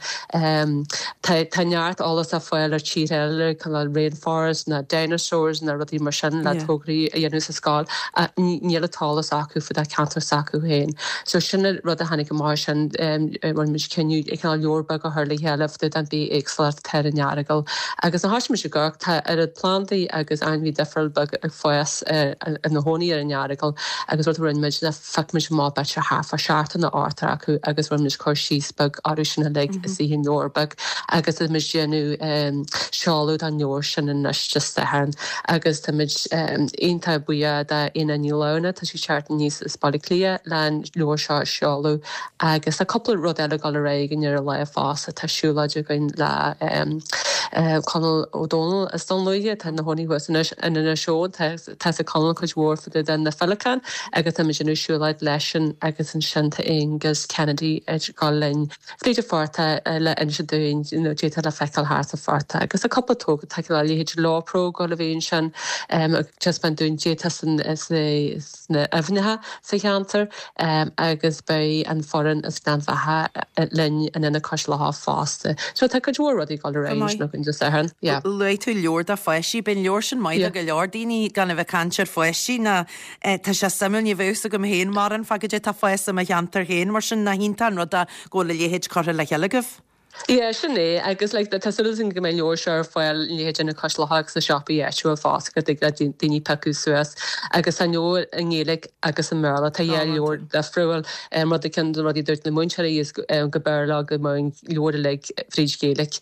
Tá tá neart eolas á fáil ar tíortha eile, cineál rainforest nó dinosaurs nó rudaí mar sin le tograí a dhéanamh sa scoil ach níl an t-eolas acu fá dtaobh ceantar s'acu féin. So sin an rud a tháinig amach as sin, rinne muid cinneadh cineál leabhar beag a chur le chéile fá dtaobh den bithéagsúlacht atá ar an Earagail. Agus nuair a thoisigh muid ag amharc, tá oiread plandaí agus ainmhí difriúil beag ag fás ina chónaí ar an Earagail agus rud a rinne muid ná phioc muid amach b'fhéidir thart fá seachtó nó ochtó acu agus rinne muid cur síos beag orthu sin uilig istigh i leabhar beag agus tá muid ag déanamh seoladh don leabhar sin anois Dé Sathairn agus tá muid iontach buíoch d'Éanna Ní Lamhna, tá sí ag teacht aníos as Baile Átha Cliath le an leabhar seo a sheoladh agus tá cúpla rud eile ag dul ar aghaidh againn ar an lá fosta, tá siúlóid againn le Conall Ó Dónaill as Dún Lúiche, atá ina chónaí thuas anois in Inis Eoghain, tá Tá 'fhios ag Conall cuid mhór fá dtaobh de na féileacáin agus tá muid ag déanamh siúlóid leisean agus ansin tá Aengus Kennedy ag dul linn fríd an phortach le inse dúinn you know cad é atá le feiceáil thart sa phortach agus tá cúpla togra tá a leithéid Lawpro ag dul a bheith ansin ag taispeáint dúinn cad é atá sna aibhneacha sa cheantar agus beidh an foireann as Gleann Bheatha linn in Ionad Cois Locha fosta. So tá cuid mhór rudaí ag dul ar aghaidh ansin againn Dé Sathairn. Yeah. Luaigh tú leabhar do pháistí. Beidh an leabhar sin maith do go leor daoine gan a bheith ag caint ar pháistí ná tá sé suimiúil, ní bheadh fhios agam féin mórán fá goidé atá ag fás i mo cheantar féin mar sin nach iontach an rud é go bhfuil a leithéid curtha le chéile agaibh. Yeah, sin é. Agus like tá súil againn go mbeidh an leabhar seo ar fáil i leithéid Ionad Cois Locha agus sna siopaí áitiúil fosta go dtig le daoine piocadh suas. Agus tá an leabhar i nGaeilge agus i mBéarla. Tá dhá leabhar difriúil. Rud ceann de na rudaí a dúirt na múinteoirí is go mb'fhearr leo go mbeadh an leabhar uilig fríd Ghaeilge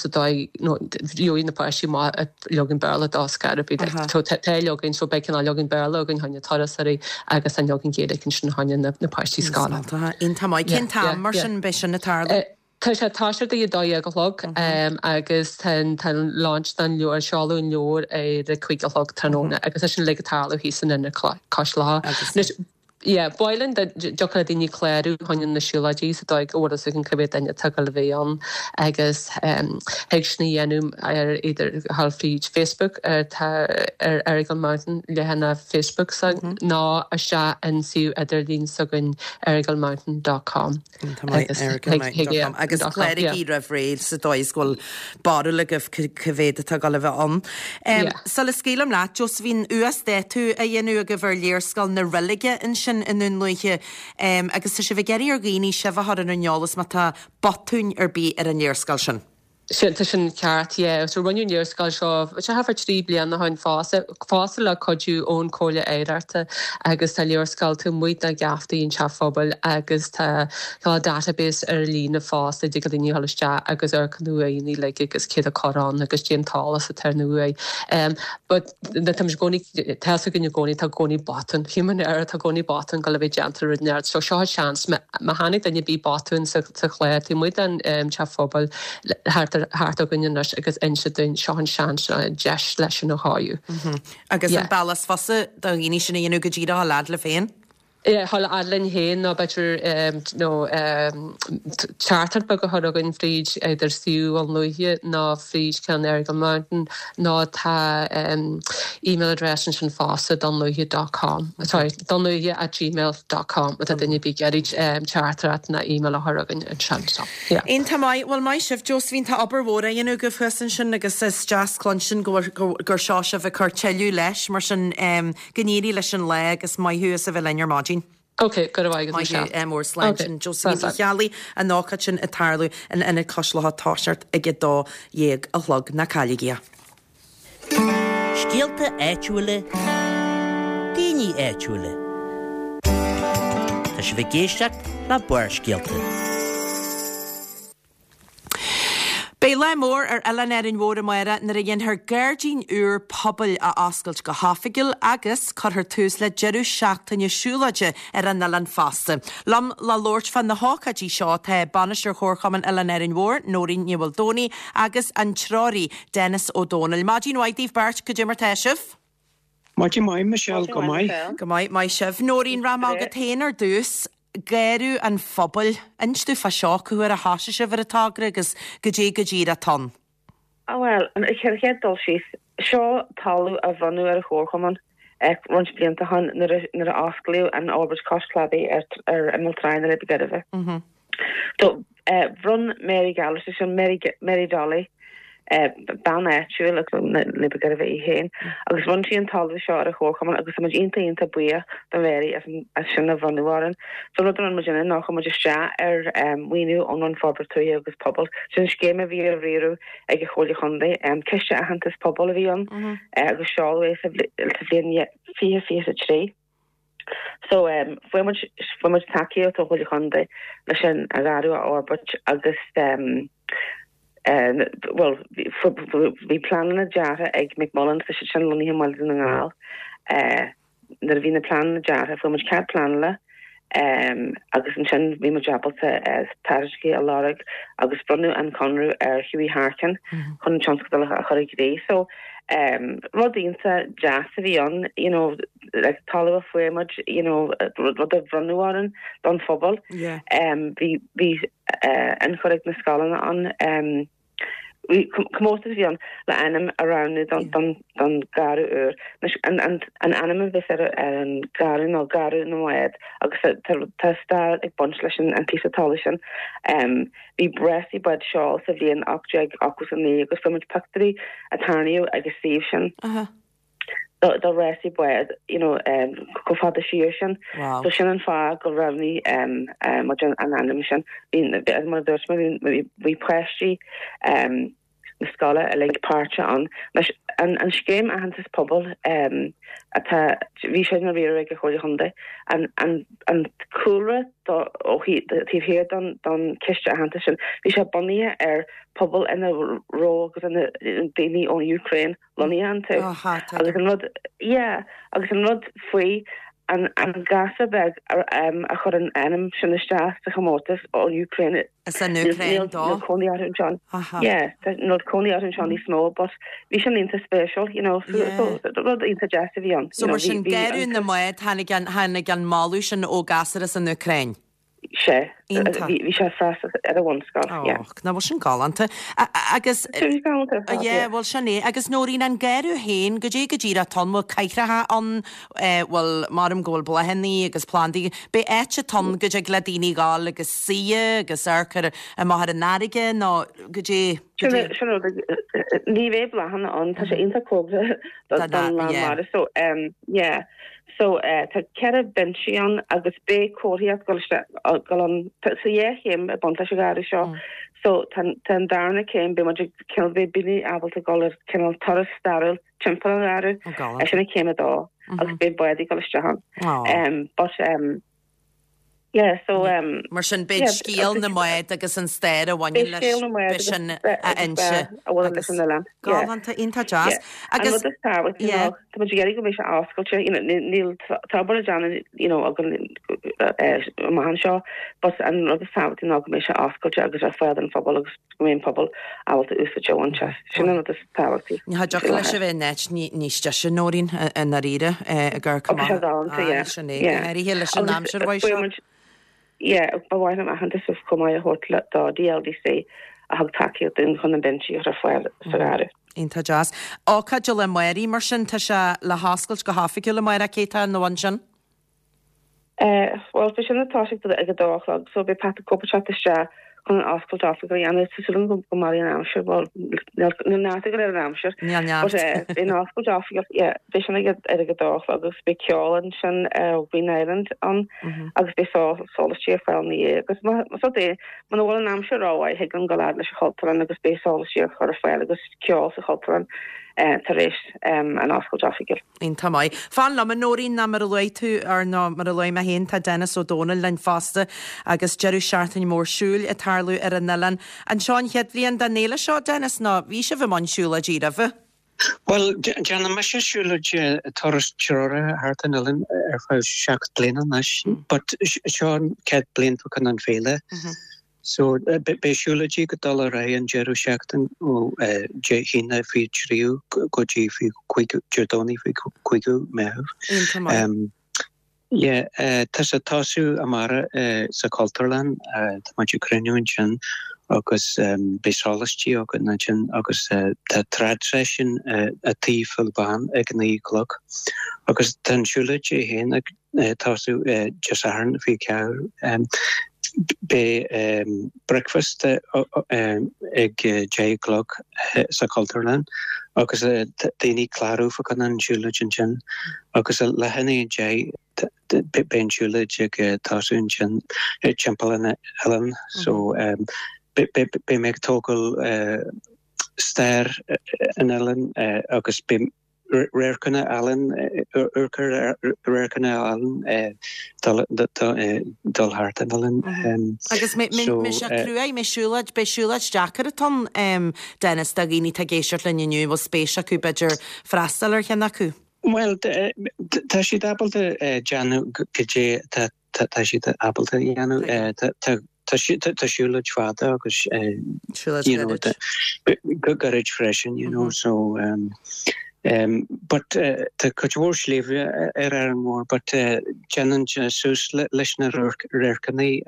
sa dóigh nó gheobhaidh na páistí amach leagan Béarla dó scor ar bith. So tá leagan so beidh cineál leagan Béarla againn choinne turasóirí agus an leagan Gaeilge ansin choinne na páistí scoile. Iontach maith. Cén t-am mar sin beidh sin ag tarlú? Tá sé ag toiseacht ag 12 a chlog agus tá an launch don leabhar, seoladh an leabhair ar a 5 a chlog tráthnóna agus tá sin uilig ag tarlú thíos in Ionad Cois Locha. Anois, Yeah, ba mhaith linn dá dtiocfadh le daoine clárú choinne na siúlóidí sa dóigh go bhfuil fhios againn cá mhéad duine atá ag dul a bheith ann agus thig sin a dhéanamh ar either thall fríd Facebook ar tá ar Errigal Mountain leathanach Facebook s'againn nó isteach in suíomh idirlín s'againn errigalmountain dot com. Agus Agus cláraigí roimh ré sa dóigh is go bhfuil barúil agaibh cá mhéad atá ag dul a bheith ann. Sula scaoilim leat, Josephine, uasdátú á dhéanamh agaibh ar léarscáil na reilige ansin i nDún Lúiche agus tá sibh ag iarraidh ar dhaoine sibh a chur ar an eolas má tá botúin ar bith ar an léarscáil sin. Sin, tá sin ceart, yeah. So rinneadh an léarscáil seo, sé thart fá 3 bliana ó shin fosta, fosta le cuidiú ón Comhairle Oidhreachta agus tá léarscáil taobh amuigh de gheaftaí an Teach Phobail agus tá tá database ar líne fosta a dtig le daoine a dhul isteach agus amharc ar na uaigheanna uilig agus céard atá curtha ann agus cén t-eolas atá ar na uaigh. But tá muid i gcónaí, tá fhios againn i gcónaí, tá i gcónaí botún, human error, tá i gcónaí botún ag dul a bheith déanta rud inteacht. So seo an seans, má tháinig duine ar bith botún sa chlár taobh amuigh den teach phobail thart thart againn anois agus inse dúinn, seo an seans, seo an deis leis sin a chóiriú. Agus an bealach is fusa do dhaoine sin a dhéanamh go díreach a dhul fhad libh féin? A dhul fhad linn féin nó b'fhéidir nó teachtaireacht beag a chur chugainn fríd either suíomh Dhún Lúiche nó fríd ceann Errigal Mountain nó tá email address ansin fosta dunlúiche dot com sorry dunlúiche at gmail dot com má tá duine ar bith ag iarraidh teachtaireacht nó email a chur chugainn ansin so yeah. Iontach maith. Bhuel maith sibh Josephine, tá obair mhór á dhéanamh agaibh thuas ansin agus is deas cluinstin go bhfuil gur seo sibh ag cur tuilleadh leis mar sin Go n-éirí leis an lá agus maith thú as a bheith linn ar maidin. Ok, go raibh maith agat Maith thú, Michelle. mór slán. Ok, Sin Josephine slán, Uí slán. Cheallaigh, an ócáid sin ag tarlú in Ionad Cois Locha ag toiseacht ag 12 a chlog. Ná cailligí é. Scéalta áitiúla, daoine áitiúla. Tá sibh ag éisteacht le Barrscéalta. Beidh lá mór ar Oileán Árainn Mhór amárach nuair a dhéanfar gairdín úr pobail a oscailt go hoifigiúil agus cuirfear tús le deireadh seachtaine siúlóide ar an oileán fosta. Liom le labhairt fá na hócáidí seo tá Bainisteoir Chomharchumann Oileán Árainn Mhór, Nóirín Ní Mhaoldomhnaigh agus an treoraí, Denis Ó Dónaill. Maidin mhaith daoibh beirt, cad é mar tá sibh? Maidin mhaith, Michelle, go maith. Go maith, maith sibh. Nóirín, rachaidh mé chugat féin ar dtús. Garradh an Phobail. Inis domh fá seo, cá huair a thoisigh sibh ar an togra agus goidé go díreach atá ann? Bhuel, an chéad dul síos, seo talamh a bhronnadh ar an Chomharchumann roinnt blianta ó shin nuair a osclaíodh an fhorbairt cois cladaigh ar imeall trá na Leidhbe Gairbhe. So, bhronn Mary Gallagher, sé sin Mary, Mary Dolly, bean áitiúil as an Leidhbe Gairbhe í féin, agus bhronn sí an talamh seo ar an Chomharchumann agus tá muid iontach iontach buíoch do Mary as an, as sin a bhronnadh orainn. So an rud a rinne muid ná chuir muid isteach ar mhaoiniú ón Roinn Forbartha Tuaithe agus Pobail, sin scéim a bhí á riaradh ag an Chomhairle Chontae, Ciste Aitheantas Pobail a bhí ann agus seoladh é sa bhliain 2023. So fuair muid, fuair muid tacaíocht ó Chomhairle Chontae leis an gharradh a fhorbairt agus bhuel bhí pleananna deartha ag McMullen, tá siad sin lonnaithe i mBaile Dhún na nGall. Nuair a bhí na pleananna deartha fuair muid cead pleanála agus ansin bhí muid ábalta tairiscintí a lorg agus bronnadh an conradh ar Hughie Harkin chun an tionscadal a chur i gcrích. So rud iontach deas a bhí ann, you know, like talamh a fuair muid, you know, rud a bhronnadh orainn don phobal. Yeah. Bhí bhí ionchur ag na scoileanna ann. Bhí comórtas a bhí ann le ainm a roghnú don don don garradh úr. Anois an an an ainm a bheas ar ar an garradh ná Garradh na mBád agus tá tá stair ag baint leis an an píosa talaimh sin. Bhí rásaí bád seoil sa bhliain 1889 agus fuair muid pictiúirí a tarraingíodh ag an suíomh sin. Uh-huh. do rásaí bád you know chomh fada siar sin. Wow. So sin an fáth gur roghnaigh muid an ainm sin. Bhí, mar a dúirt mé, bhí páistí na scoile uilig páirteach ann. Anois, an scéim aitheantas pobail atá, bhí sé á riaradh ag an Chomhairle Chontae, an cúlra ó thaobh thiar don chiste aitheantais sin, bhí sé bunaithe ar pobal ina raibh agus ina daoine ón Úcráin lonnaithe iontu. Agus an rud, yeah, agus an rud faoi an an gasúr beag a chuir an ainm sin isteach sa chomórtas ón Úcráin. As an Úcráin dó. Níl cónaí orthu anseo. Yeah, níl cónaí orthu anseo níos mó, but bhí sin iontach spéisiúil, you know, so so rud iontach deas a bhí ann. So mar sin, Garradh na mBád, tháinig an tháinig an moladh sin ó ghasúr as an Úcráin. Sea, bhí sé ag freastal ar an bhunscoil, yeah. Och, nach bhfuil sin galánta. Agus, Sin galánta ar fad, yeah, bhfuil sin é. Agus Nóirín, an garradh féin, goidé go díreach atá ann, bhfuil cathracha ann, bhfuil, maram go bhfuil bláthannaí agus plandaí, beidh áit atá ann go dtig le daoine dhul agus suí agus amharc ar, amach ar an fharraige nó goidé, goidé. Sin rud, ní bheidh bláthanna ann, tá sé iontach cóngarach don lán mara, so, yeah. So, tá 4 binsí ann agus beidh comharthaíocht ag dul isteach, ag dul ann, tá dhá chéim ag baint leis an gharradh seo. So tá tá an darna céim, beidh muid ag cineál beidh daoine ábalta dul ar cineál turas stairiúil timpeall an gharradh. Oh galánta. Sin an céim a dó agus beidh báid ag dul isteach ann. Aw. Um but um yeah so um Mar sin beidh yeah scéal agus na mbád agus an stair a bhaineann beidh leis scéal na mbád beidh agus sin a agus inse a bhaineann leis agus an oileán. Yeah. galánta iontach deas. Yeah. An Agus rud is tábhachtaí ná yeah. tá muid ag iarraidh go mbeidh sé oscailte, you know, níl tá obair le déanamh, you know, againn amach anseo, but an rud is tábhachtaí ná go mbeidh sé oscailte agus ar fáil don phobal agus go mbeidh an pobal ábalta úsáid a bhaint as. Sin an rud is tábhachtaí Ní thiocfadh leis a bheith in áit níos deise, Nóirín, i ndáiríre, ag amharc Tá sé amach. galánta, yeah, Sin é, go yeah. háirithe leis an Agus aimsir mhaith seo. muid, yeah, ba mhaith liom aitheantas chomh maith a thabhairt do DLDC a thug tacaíocht dúinn chun na binsí a chur ar fáil sa gharradh. Iontach deas. Ócáid eile amárach, mar sin, tá sé le hoscailt go hoifigiúil amárach, cé tá ina bhun sin? Bhuel, beidh sin ag toiseacht ag a dó a chlog, so beidh Pat the Cope ag teacht isteach chun an oscailt oifigiúil a dhéanamh. Tá súil agam go mairfidh an aimsir, bhuel, níl neart ag dul ar an aimsir. Níl neart. But beidh an oscailt oifigiúil, yeah, beidh sin ag ar ag a dó a chlog agus beidh ceol ansin ó Green Island ann agus beidh sólaistí ar fáil ina dhiaidh. Agus más rud é, muna bhfuil an aimsir rómhaith, thig linn dul fhad leis an Chultúrlann agus beidh sólaistí á chur ar fáil agus ceol sa Chultúrlann tar éis an oscailt oifigiúil. Iontach maith. Fan liom, a Nóirín, ná mar a luaigh tú, or nó mar a luaigh mé féin, tá Denis Ó Domhnaill linn fosta agus deireadh seachtaine mór siúil ag tarlú ar an oileán. An seo an chéad bhliain den fhéile seo, Denis, nó bhí sibh i mbun siúlóidí roimhe? Bhuel, déanann mise siúlóid turas treoraithe thart an oileán ar feadh 7 bliana anois, but seo an chéad bliain fá choinne an féile. So, beidh siúlóidí ag dul ar aghaidh an deireadh seachtain ó Dé hAoine 23ú go dtí 25ú, Dé Domhnaigh 25ú Meitheamh. Iontach maith. Yeah, tá sé ag tosú amárach sa Chultúrlann, tá muid ag cruinniú ansin agus beidh sólaistí againn ansin agus tá trad session i Tigh Phil Bán ag a 9 a chlog agus tá an siúlóid é féin ag tosú Dé Sathairn 24. Beidh bricfeasta ag 10 a chlog sa Chultúrlann agus daoine clárú fá choinne an siúlóid ansin agus leath i ndiaidh a 10 beidh an siúlóid ag tosú ansin timpeall an oileáin so beidh mé ag tógáil stair an oileáin agus beidh Radharcanna álainn, radharcanna álainn dul thart an oileán. Agus mbeidh sé cruaidh, mbeidh siúlóid, beidh siúlóid deacair atá ann, Dennis, do dhaoine atá ag éisteacht linn inniu, bhfuil spéis acu b'fhéidir freastal ar cheann acu? Bhuel, tá siad ábalta déanamh goidé atá tá siad ábalta a dhéanamh. Tá siúlóid fada agus you know gairid freisin you know so but tá cuid mhór sléibhe ar Árainn Mhór but déanann sé suas leis na radharcanna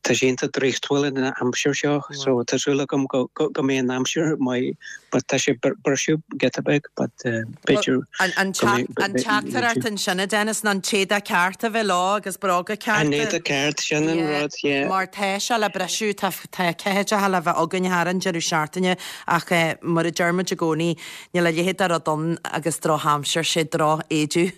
tá sé iontach draíochtúil an aimsir seo so tá súil agam go mbeidh an aimsir maith but tá sé briseadh giota beag but b'fhéidir An teachtaireacht ansin a Dennis ná an t-éadach ceart a bheith leo agus bróga cearta. An éadach ceart, sin an rud, yeah. Mar tá sé le briseadh, tá tá ceathaideacha le bheith againn thar an deireadh seachtaine ach mar a deir muid i gcónaí, níl a leithéid de rud ann agus drochaimsir, sé droch-éideadh.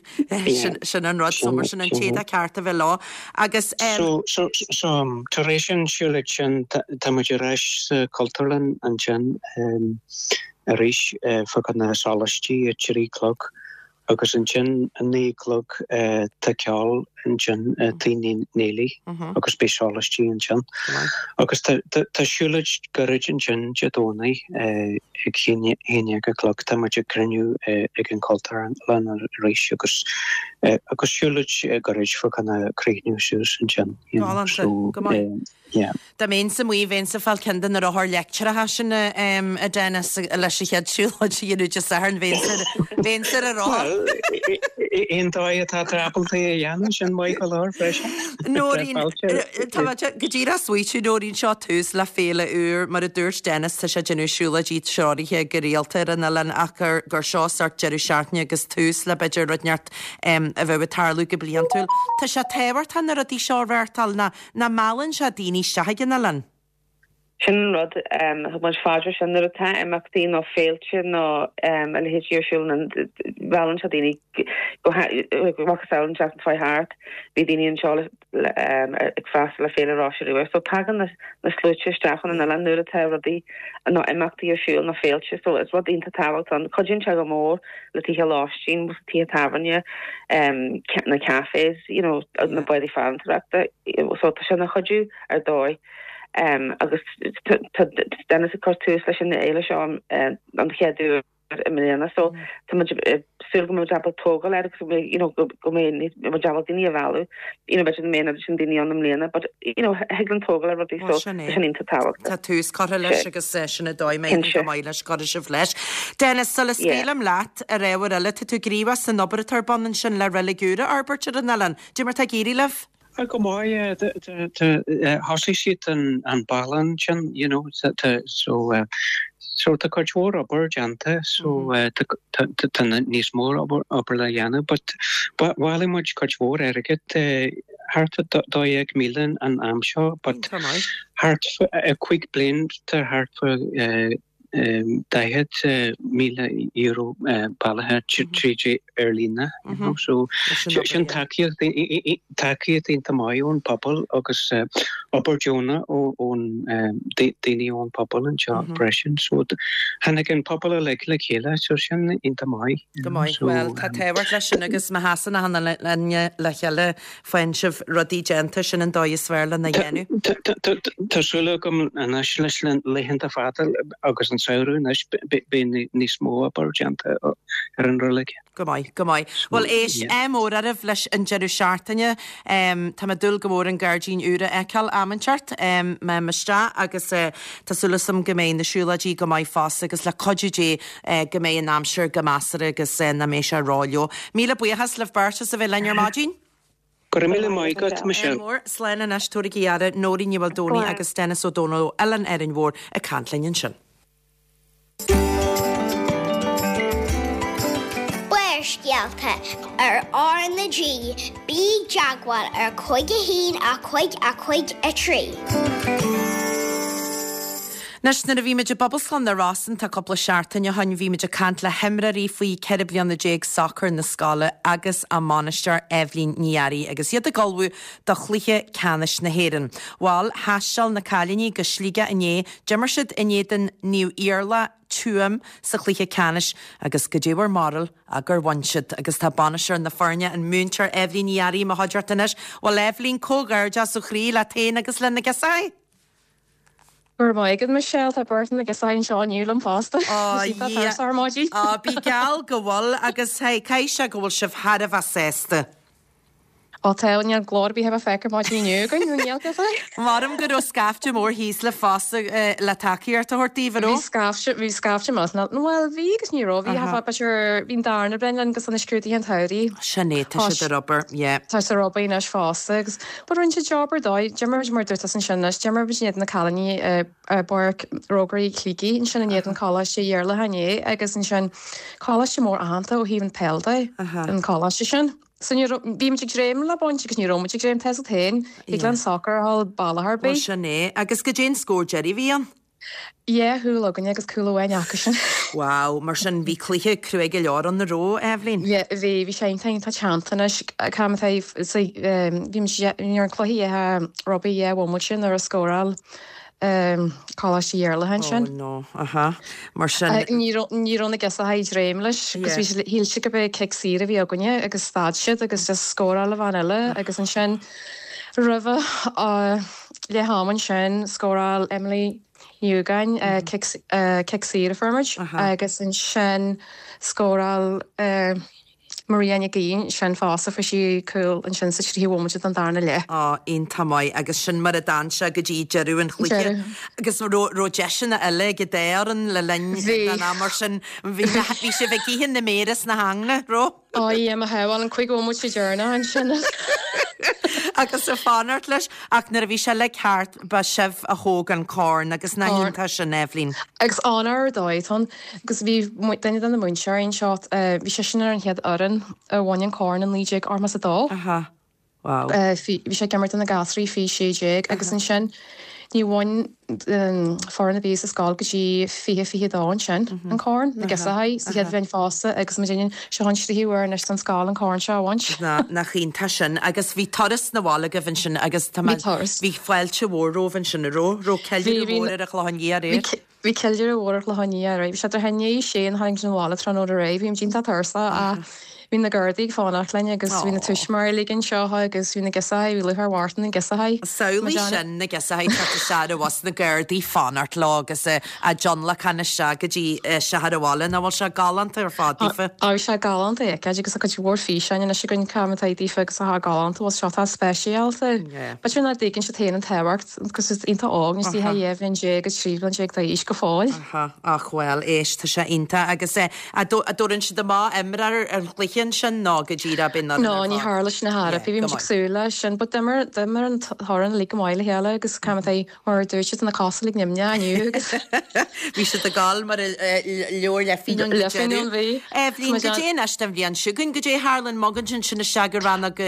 Sin an rud, so mar sin an t-éadach ceart a bheith leo agus. So, so, so, tar éis an siúlóid sin, tá muid ar ais sa Chultúrlann ansin arís fá choinne sólaistí a trí a chlog agus ansin a naoi a chlog tá ceol ansin i Tigh Neilí agus beidh sólaistí ansin. Agus tá siúlóid gairid ansin Dé Domhnaigh ag haon déag a chlog. Tá muid ag cruinniú ag an Chultúrlann arís agus agus siúlóid gairid fá choinne críochnú suas ansin. Galánta. Go maith. Yeah. Dá mbeinnse amuigh, bheinnse ag fáil ceann de na rothair leictreacha sin, a Dennis, leis an chéad siúlóid a dhéanamh Dé Sathairn, bheinnse ar an rothar. Bhuel, aon dóigh atá tú ábalta é a dhéanamh, sin maith go leor freisin. Nóirín, tá mé go díreach ag smaoitiú, Nóirín, seo tús le féile úr, mar a dúirt Dennis, tá sé ag déanamh siúlóidí treoraithe go rialta ar an oileán ach gur gur seo sórt deireadh seachtaine agus tús le b'fhéidir rud inteacht a bheadh ag tarlú go bliantúil. Tá sé tábhachtach na rudaí seo a reáchtáil, ná Nach meallann sé daoine isteach ag an oileán? Sin an rud, thug muid fá dear sin, nuair atá imeachtaí nó féilte nó a leithéidí ar siúl, meallann sé daoine go macasamhail an tseachtain seo thart, bhí daoine anseo le. Ag freastal ar Féile Roise Rua. So tagann na sluaite isteach chun an oileáin nuair atá rudaí nó imeachtaí ar siúl nó féilte. So is rud iontach tábhachtach ann. Cuidíonn sé go mór le tithe lóistín, tithe tábhairne, na cafés, you know, na bádaí farantóireachta. So tá sé ina chuidiú ar dóigh. Agus tá Dennis ag cur tús leis an fhéile seo an chéad uair. i mbliana so tá muid ag súil go mbeidh muid ábalta tógáil air agus go mbeidh you know go go mbeidh muid ábalta daoine a mhealladh you know b'fhéidir nach mbeidh an oiread sin daoine ann i mbliana but you know thig linn tógáil ar rudaí so tá sin iontach tábhachtach. Tá tús curtha leis agus sin an dóigh má éiríonn go maith leis cuirfidh sibh leis. Dennis, sula scaoilim leat ar ábhar eile, tá tú gníomhach san obair atá ar bun ansin le reilig úr a fhorbairt ar an oileán. Cad é mar atá ag éirí libh? Go maith, thosaigh siad an balla ansin, you know, so so tá cuid mhór obair déanta, so tá níos mó obair le dhéanamh, but bhailigh muid cuid mhór airgead, thart ar 12,000 an am seo, but thart 5 bliain tá thart fá €40,000 bailithe tríd ar líne you know so sin tacaíocht tacaíocht iontach maith ón pobal agus obair deonach ón daoine ón pobal anseo freisin so tháinig an pobal uilig le chéile so sin iontach maith. Go maith. Bhuel tá tábhacht leis sin agus má sheasann achan duine le chéile Faigheann sibh rudaí déanta, sin an dóigh is fearr lena dhéanamh. Tá súil agam anois leis na laethanta fada agus an samhradh anois beidh níos mó obair déanta ar an reilig. Go maith, go maith. Bhuel éist, ádh mór oraibh leis an deireadh seachtaine. Tá mé ag dúil go mór an gairdín úr a fheiceáil am inteacht. Má théim isteach agus tá súil agam go mbeidh na siúlóidí go maith fosta agus le cuidiú Dé go mbeidh an aimsir go measartha agus nach mbeidh sé rófhuar. Míle buíochas libh beirt as a bheith linn ar maidin. Go raibh míle maith agat, Michelle. Ádh mór. Slán anois, tabhairigí aire, Nóirín Ní Mhaoldomhnaigh agus Dennis Ó Dónaill ó Oileán Árainn Mhór ag caint linn ansin. Barrscéalta ar R na G, bí i dteagmháil ar 5 1 5 5 3. Anois, nuair a bhí muid i bPobalscoil na Rosann tá cúpla seachtain ó shoin, bhí muid ag caint le himreoirí faoi 14 bliana sacair na scoile agus a mbainisteoir Eibhlín Ní Fhearraigh agus iad ag ullmhú do chluiche ceannais na hÉireann. Bhal, thaisteal na cailíní go Sligeach inné, d'imir siad in éadan Naomh Iarlaith, Tuaim, sa chluiche ceannais agus goidé bhur mbarúil ach gur bhain siad agus tá bainisteoir na foirne, an múinteoir Eibhlín Ní Fhearraigh i mo chuideachta anois. Bhuel Eibhlín, comhghairdeas ó chroí leat féin agus le na girseachaí! Go raibh maith agat Michelle, tá beirt de na girseachaí anseo inniu liom fosta. Á, Tá tuirseach ar maidin. Á, bí geall go bhfuil agus hey, caithfidh sé go bhfuil sibh thar a bheith sásta. Á tá, níl glór ar bith le feiceáil ar maidin inniu againn, ní níl cad é. Maram go raibh scaifte mór thíos libh fosta le tacaíocht a thabhairt daoibh, an raibh? Bhí scaifte, bhí scaifte maith, bhuel bhí agus ní raibh, bhí, b'fhéidir, bhí an darna bliain linn agus na scrúduithe an tsamhraidh. Sin é, tá siad ar obair, yeah. Tá siad ar obair anois fosta agus But rinne siad job ar dóigh. D'imir muid mar dúirt tusa ansin anois, d'imir muid in éadan na cailíní i bPáirc Rógairí Shligigh ansin in éadan Coláiste Iarlatha inné agus ansin coláiste mór aitheanta ó thaobh an peil de, an coláiste sin. So ní raibh, bhí muid ag dréim le baint agus ní raibh muid ag dréim, tá a fhios agat féin, thig le an soccer a dhul bealach ar bith. Bhuel sin é. Agus goidé an scór deiridh a bhí ann? Dhá chúl againne agus cúl amháin acusan. Wow, mar sin bhí cluiche cruaidh go leor ann an raibh, Eibhlín? Yeah, bhí, bhí sé iontach, iontach teannta anois. Cá mbeadh so bhí muid, bhí an cluiche dhá rugbaí dhá bhomaite nuair a scóráil Coláiste Iarlatha ansin. Oh no, aha. Mar sin. Ní raibh, ní raibh na girseachaí ag dréim leis agus bhí siad, shíl siad gurb é cic saor a bhí againne agus stad siad agus just scóráil an bhean eile agus ansin roimhe Leath am ansin, scóráil Emily Ní Dhúgáin cic saor a fuair muid agus ansin scóráil Maria Nic Aoidh ansin fosta, fuair sí cúl ansin sa tríocha bhomaite den darna leath. Á, iontach maith agus sin mar a d'fhan sé go dtí deireadh an chluiche. Agus raibh deiseanna eile ag an dá fhoireann le linn den am mar sin, bhí sibh ag ithe na méire is na heangne, raibh? Á yeah, mo shábháil, an 5 bhomaite deireanach ansin. Agus ag fanacht leis, ach nuair a bhí sé uilig thart, ba sibh a thóg an corn agus nach iontach sin, Eibhlín. Agus onóir ar dóigh atá ann. Agus bhí duine de na múinteoirí anseo, bhí seisean ar an chéad fhoireann a bhain an corn i 1982. Aha. Wow. Bhí sé ag imirt do na gasraí faoi 16 agus ansin. Ní bhain foireann ar bith sa scoil go dtí 2022 ansin, an corn, na girseachaí sa chéad bhliain fosta agus muid in seo an tríú huair anois don scoil an corn seo a bhaint. Nach iontach sin. Agus bhí turas na bhaile agaibh ansin agus tá mé, bhí fáilte mhór romhaibh ansin, an raibh? Raibh ceiliúradh mór ar an Chlochán Liath aréir? Bhí ceiliúradh mhór ar Chlochán Liath aréir. Bhí sé i ndiaidh a sé nuair a tháinig muid abhaile tráthnóna aréir. Bhí muid iontach tuirseach ach bhí na Gardaí ag fanacht linn agus bhí na tuismitheoirí uilig anseo agus bhí na girseachaí, bhí lúcháir mhór ar na girseachaí. Samhlaigh sin, na girseachaí ag teacht isteach ar an bhus, na Gardaí fanacht leo agus á dtionlacan isteach go dtí teach an bhaile. Nach bhfuil sé galánta ar fad daofa? Á bhí sé galánta a fheiceáil agus tá cuid mhór físeáin anois againn cá atá daofa agus tá galánta, bhfuil seo tá speisialta. B'fhéidir nach dtuigeann siad féin an tábhacht. Agus is iontach óg, níl siad ach 12 bhliain agus 13 bhliain d'aois go fóill. Aha, ach bhuel, éist, tá sé iontach agus eh, a' dtabharann siad amach imreoir an chluiche ansin nó go díreach bíonn an No, ní tharla sin a Yeah, bhí go muid ag maith. súil leis sin, but d'imir, d'imir an fhoireann uilig go maith le chéile agus cá mbeadh Mar a dúirt siad, tá na cosa uilig nimhneach inniu agus. Bhí siad ag gabháil mar a leabhar le fíneán go Le fíneán, deireadh. bhí. Eibhlín, goidé anois don bhliain seo chugainn, goidé a tharlaíonn, mbogann sin isteach go rannóg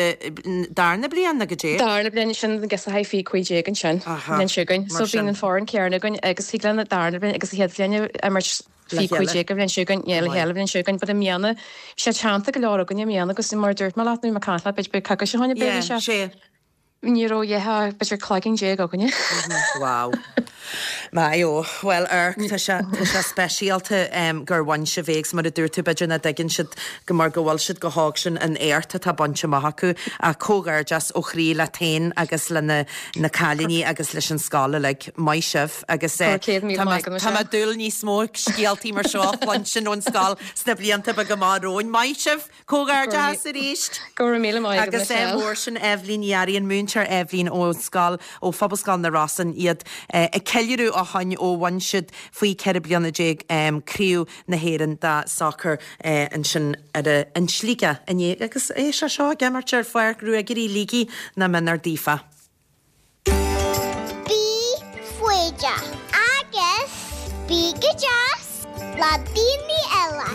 darna bliain nó goidé? Darna bliain, sin na girseachaí faoi 15 ansin, Aha, an bhliain seo chugainn. mar So bíonn sin. an foireann céanna againn agus thig linn an darna bliain agus an chéad bhliain a imirt Le faoi chéile. 15 an bhliain seo chugainn, yeah, Go le maith. chéile an bhliain seo chugainn. But i mbliana, bhí sé teannta go leor againn i mbliana agus mar a dúirt mé leat, nó mé ag caint leat, b'fhéidir b'fhéidir coicís ó shin, Yeah, b'fhéidir sé. sé. Ní raibh ach b'fhéidir cloigeann déag againne. Wow. Maith ó. Bhuel, amharc, tá sé, tá sé speisialta gur bhain sibh é agus mar a dúirt tú, b'fhéidir nach dtuigeann siad go mar go bhfuil siad chomh hóg sin an éacht atá bainte amach acu. Ach comhghairdeas ó chroí leat féin agus le na, na cailíní agus leis an scoil uilig. Maith sibh agus Go raibh 100,000 tá mé, maith agat, tá Michelle. mé ag dúil níos mó scéaltaí mar seo a chluinstin ón scoil sna blianta beaga amach romhainn. Maith sibh! Comhghairdeas arís! Go raibh míle maith agat, Agus Michelle. mór sin Eibhlín Ní Fhearraigh, an múinteoir Eibhlín ón scoil, ó Phobalscoil na Rosann, iad ag ceiliúradh ó shoin ó bhain siad faoi 14 bliana Craobh na hÉireann de sacar ansin ar a in Sligeach inné agus é sé seo ag imirt ar Pháirc Ruagairí Shligigh nach méanar daofa. Bí foighdeach agus bí go deas le daoine eile.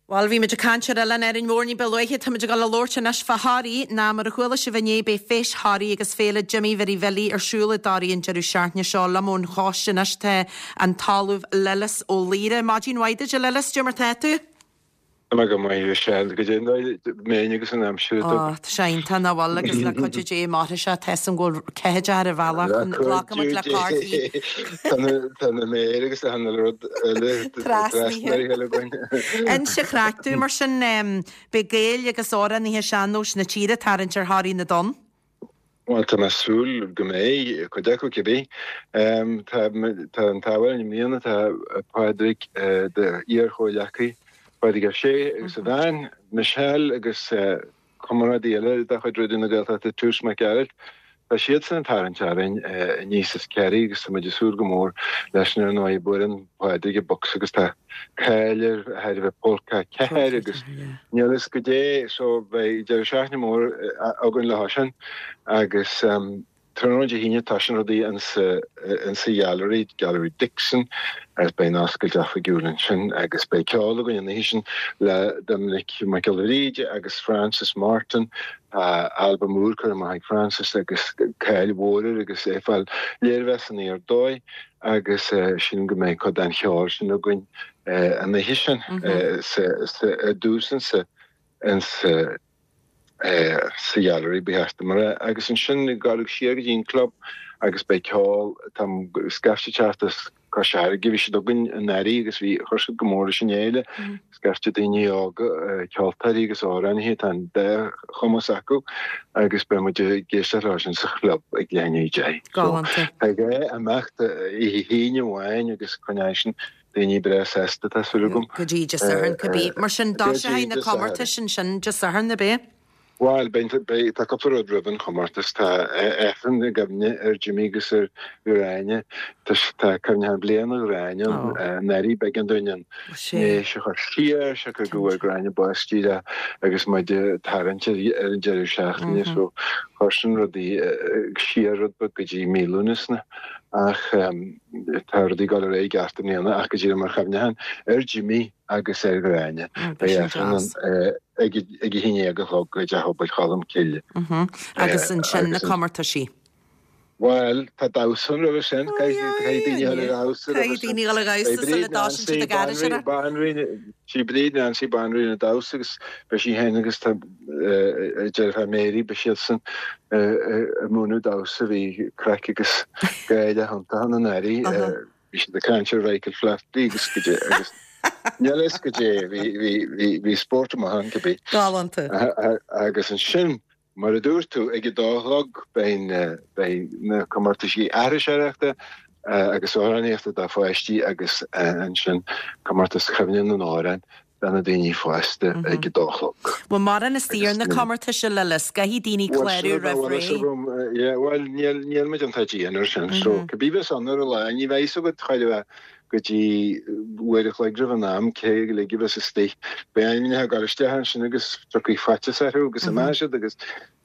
Bhuel, bhí muid ag caint ar Oileán Árainn Mhór ní ba luaithe. Tá muid ag dul a labhairt anois fá Thoraí. Ná mar a chuala sibh inné, beidh Feis Thoraí agus Féile Jimí Mhary Bhilí ar siúl i dToraigh an deireadh seachtaine seo. Liom ón choiste anois tá an tOllamh Lillis Ó Laoire. Maidin mhaith duit, a Lillis, cad é mar tá tú? Tá mé go maith, a Mhichelle. Goidé mé agus an aimsir Ó, tá sé iontach nach bhfuil agus le cuidiú Dé mairfidh sé, tá 'fhios a'm go bhfuil ceathaideach ar an bhealach Le chun glacadh muid le cuidiú cártaí. Dé. Tá na tá na méir agus achan uile rud eile Trasnaithe. trasnaithe againn. Inis an chraic dúinn mar sin, beidh Gaeil agus amhránaithe sean-nóis na tíre ag tarraingt ar Thoraigh na dTonn. Bhuel, tá mé ag súil go mbeidh, cuid acu cibé. Tá tá an t-ádh linn i mbliana, tá Pádraig, d'iar-chomhghleacaí, Pádraig Ó Sé agus a bhean, Michelle agus comrádaí eile de chuid Raidió na Gaeltachta, Toose Mac Gearailt, tá siadsan ag tarraingt orainn aníos as Ciarraí agus tá muid ag súil go mór leis sin ar ndóigh. Buaileann Pádraig an bocsa agus tá cáil air thar a bheith Polca 4 agus níl fhios goidé so beidh deireadh seachtaine mór againn leo sin agus tráthnóna Dé hAoine tosaíonn rudaí insa insa Gheallery, Gallery Dixon agus beidh an oscailt oifigiúil ansin agus beidh ceol againn an oíche sin le Doiminic Mac Giolla Bhríde agus Francis Martin Tá albam úr curtha amach ag Francis agus cáil mhór air agus é ag fáil léirmheas aniar aduaidh. Agus sílim go mbeidh cuid den cheol sin againn an oíche sin i dtús insa insa sa Ghallery ba cheart dom a rá. Agus ansin ag gabháil siar go dtí an club agus beidh ceol, tá scaifte ag teacht as Cois Fharraige, bhí siad againn anuraidh agus bhí, chuir siad go mór leis an fhéile. Scaifte daoine óga, ceoltóirí agus amhránaithe, tá an dá chumas acu agus beidh muid ag éisteacht leo sin sa chlub ag leath i ndiaidh a 10. So, Galánta. tá dhá imeacht oíche hAoine amháin agus coinneoidh sin daoine breá sásta, tá súil agam. Go dtí Dé Sathairn, cibé. Mar sin, Go dtí tosóidh na Dé Sathairn. comórtais ansin Dé Sathairn, ab é? Bhuel, beidh, beidh, tá cúpla rud roimh an chomórtas. Tá Aifreann i gcuimhne ar Jimmy agus ar Ghráinne. Tá, tá cuimhneachán bliana Ghráinne ann. Anuraidh b'éigean dúinn an ndéis a chur siar, siocair go bhfuair Gráinne bás díreach agus muid ag tarraingt ar an deireadh seachtaine. So, chuir sin rudaí siar rud beag go dtí mí Lúnasa. Ach tá rudaí ag dul ar aghaidh i gceart i mbliana ach go díreach mar chuimhneachán ar Jimmy agus ar Ghráinne. Beidh Beidh sin Aifreann deas. ann ag a haon dhéag a chlog i dTeach Pobail Cholm Cille. Agus ansin na comórtaisí. Bhuel, tá damhsa ann roimhe sin. Caithfidh daoine a dhul ag damhsa roimhe sin. Caithfidh daoine a dhul ag damhsa sula dtosaíonn siad ag aithris. Banríon, sí Bríd Nancy banríon an damhsa agus beidh sí féin agus tá a deirfiúr Mary, beidh siadsan ag múineadh damhsa, bhí craic agus gáire iontach ann anuraidh. Bhí siad ag caint ar Mhichael Flatley agus goidé agus níl a fhios goidé, bhí spórt amach ann cibé. Galánta. Agus ansin Mar a dúirt tú, ag a dó a chlog beidh na comórtaisí aithriseoireachta agus amhránaíochta do pháistí agus ansin comórtas Chuimhne na nAmhrán do na daoine fásta ag a dó a chlog. Bhfuil mórán istigh ar na comórtais a Lillis? Caithfidh daoine clárú roimh ré. Bhuel, níl muid iontach dian ar sin. So, cibé bheas ann ar an lá, ní bheidh fhios agat chóir a bheith go dtí uair a chloig roimh an am, cé uilig a bheas istigh. Beidh ainmneacha ag dul isteach ansin agus tiocfaidh faitíos orthu agus imeoidh siad agus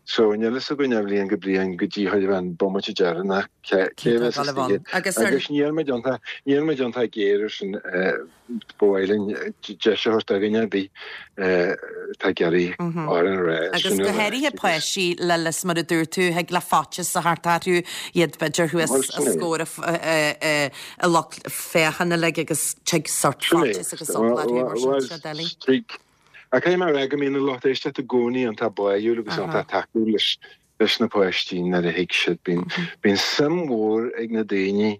so níl fhios againn ó bhliain go bliain go dtí chóir a bheith an bomaite deireanach cé a bheas istigh. Agus Agus níl muid iontach, níl muid iontach géar ar sin, ba mhaith linn deis a thabhairt do dhuine ar bith atá ag iarraidh amhrán a rá. Agus go háirithe páistí Lillis mar a dúirt tú, thig le faitíos a theacht orthu, iad b'fhéidir thuas os comhair a lucht féachana uilig agus tig sort faitíos agus eagla orthu mar sin, sé doiligh. Tig. Ach caithfidh mé a rá go mbíonn an lucht éisteachta i gcónaí iontach báúil agus iontach tacúil leis leis na páistí nuair a thig siad. Bíonn bíonn suim mhór ag na daoine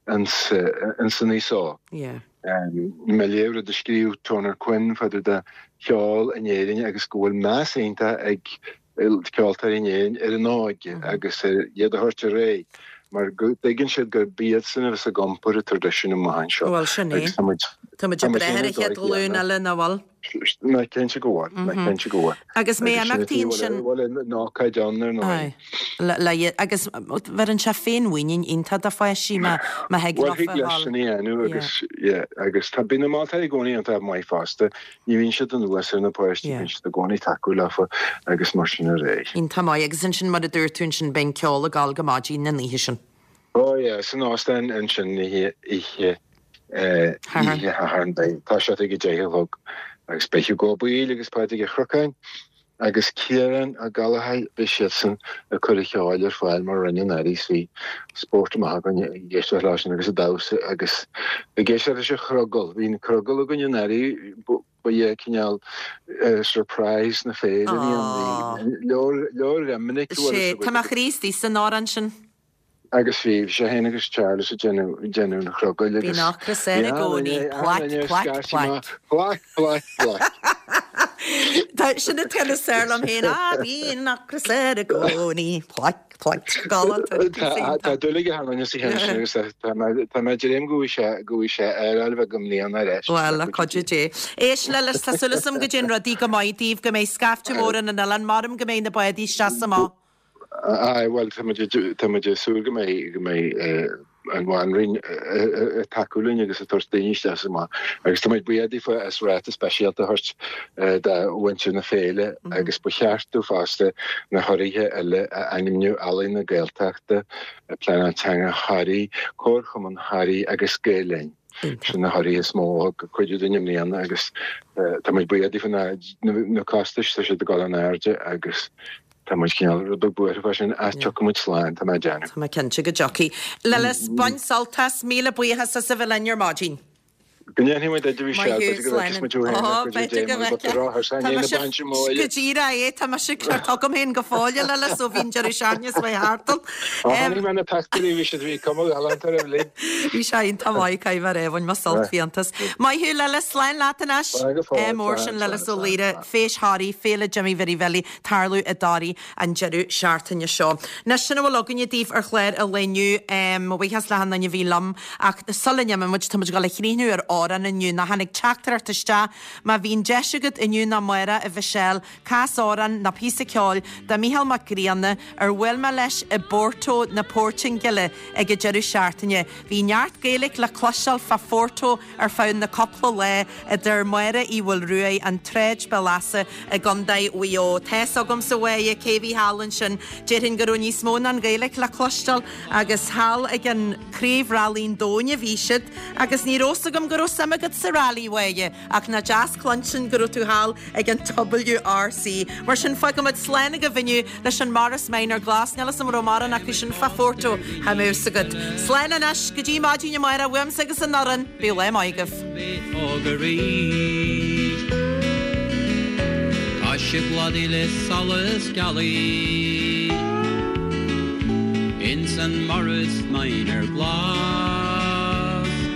ins ins an aos óg. Mé ag léamh rud a scríobh Toner Quinn fá dtaobh de cheol in Éirinn agus go bhfuil meas iontach ag ceoltóirí in Éirinn ar an óige agus ar iad a thabhairt ar aghaidh mar go dtuigeann siad gurb iadsan a bheas ag iompar an traidisiúin amach anseo. Bhuel, sin é. Agus tá muid Tá muid ag brath ar an chéad ghlúin eile, nach bhfuil? Ná cinnte go bhfuil, ná cinnte go bhfuil. Agus mé imeachtaí ansin. Bhfuil an ócáid ann ar ndóigh. Aye. Agus bheireann sé féinmhuinín iontach do pháistí má má thig leofa a dhul. Bhuel, thig leis sin a dhéanamh agus, yeah, agus tá, bíonn na moltóirí i gcónaí iontach maith fosta. Ní bhíonn siad anuas ar na páistí, bíonn siad i gcónaí tacúil leofa agus mar sin ar aghaidh. Iontach maith. Agus ansin, mar a dúirt tú ansin, beidh an ceol ag gabháil go maidin an oíche sin. Oh yeah, san óstán ansin oíche, oíche, oíche Shathairn beidh, tá sé ag a deich a chlog agus beidh Hugo Ó Baoill agus Pádraig Ó Cnocáin agus Ciarán Ó Gallchóir, beidh siadsan ag cur an cheoil ar fáil mar a rinne anuraidh is bhí spórt amach againn ag éisteacht leo sin agus ag damhsa agus ag éisteacht leis an chrogall. Bhí an crogall againn anuraidh, ba é cineál surprise na féile a bhí ann. Bhí leor, leor minic Sé, tá mo chroí istigh san amhrán sin. Agus bhí sé féin agus Charles ag déanamh, déanamh an chrogaill agus. Bíonn ocras air i gcónaí, plaic, plaic, plaic. Plaic, plaic, plaic. Tá sin an ceann is fearr liom féin, ah bíonn ocras air i gcónaí, plaic, plaic. Galánta. Tá dúil aige thar an sa cheann sin agus tá mé, tá mé ag dréim go bhfaighidh sé, go bhfaighidh sé air bheag i mbliana ar ais. Bhuel, le cuidiú Dé. Éist, Lillis, tá súil agam go dtéann rudaí go maith daoibh, go mbeidh scaifte mór ar an oileán, maram go mbeidh na bádaí isteach is amach. Aye, bhuel, tá muid, tá muid ag súil go mbeidh, go mbeidh an Bhanríon ag tacú linn agus ag tabhairt daoine isteach is amach. Agus tá muid buíoch daofa as ráta speisialta a thabhairt do mhuintir na féile agus ba cheart domh fosta na hurraithe eile a ainmniú, Ealaín na Gaeltachta, Pleanáil Teanga Thoraí, Comharchumann Thoraí agus Gael Linn. Sin na hurraithe is mó a thug cuidiú dúinn i mbliana agus tá muid buíoch daofa na costais, tá siad ag dul in airde agus Tá muid cineál rud beag buartha fá sin ach tiocfaidh muid slán, tá mé ag déanamh. Tá mé cinnte go dtiocfaidh. Lillis, bain sult as, míle buíochas as a bheith linn ar maidin. Go ndéanfaidh muid idir bhí Maith thú, slán. Slán. Muid ó Ó, b'fhéidir go bhfeicfeá. Tá mise go díreach é, tá mise ceart agam féin go fóill, a Lillis, ó bhí an deireadh seachtaine is mé thart ann. Ó, chonaic mé na pictiúirí, bhí siad, bhí cuma ghalánta orthu uilig. Bhí sé iontach maith, caithfidh mé a rá, bhain mé sult fiántas. Maith thú, Lillis, slán leat anois. Slán go fóill, Ádh mór slán, sin Lillis slán, Ó slán, Laoire, slán. Feis Thoraí, Féile Jimí Mhary Bhilly, tarlú i dToraigh an deireadh seachtaine seo. Anois, sin a bhfuil againne daoibh ar chlár an lae inniu. Mo bhuíochas le hachan duine a bhí liom ach sula n-imíonn muid, tá muid ag dul a chríochnú ar amhrán inniu. Nó tháinig teachtaireacht isteach, má bhíonn deis agat inniu nó amárach, a Mhichelle, cas amhrán nó píosa ceoil de Mhícheál Mac Grianna ar bhuail mé leis i bPorto na Portaingéile ag an deireadh seachtaine. Bhí neart Gaeilge le cloisteáil fá Phorto ar feadh na cúpla lá, a deir Máire Uí Mhaoilruaidh, An tSráid, Béal Easa i gContae Mhaigh Eo. Tá's agamsa, a Mháire, cé bhí thall ansin. Déarfainn go raibh níos mó ná an Ghaeilge le cloisteáil agus thall ag an Craobh Railí an Domhain a bhí siad agus ní raibh 's agam go raibh. raibh suim agat sa rally, a Mháire, ach nach deas cluinstin go raibh tú thall ag an WRC. Mar sin, fágfaimid slán agaibh inniu leis an Morris Minor Glas. Níl 'fhios a'm an raibh mórán acu sin fá Phorto, cha mbeadh 'fhios agat. Slán anois, go dtí maidin amárach, uaimse agus an fhoireann, bíodh lá maith agaibh. Mé óg arís. Tá sibh plódaithe le solas gealaí. Ins an Morris Minor glas.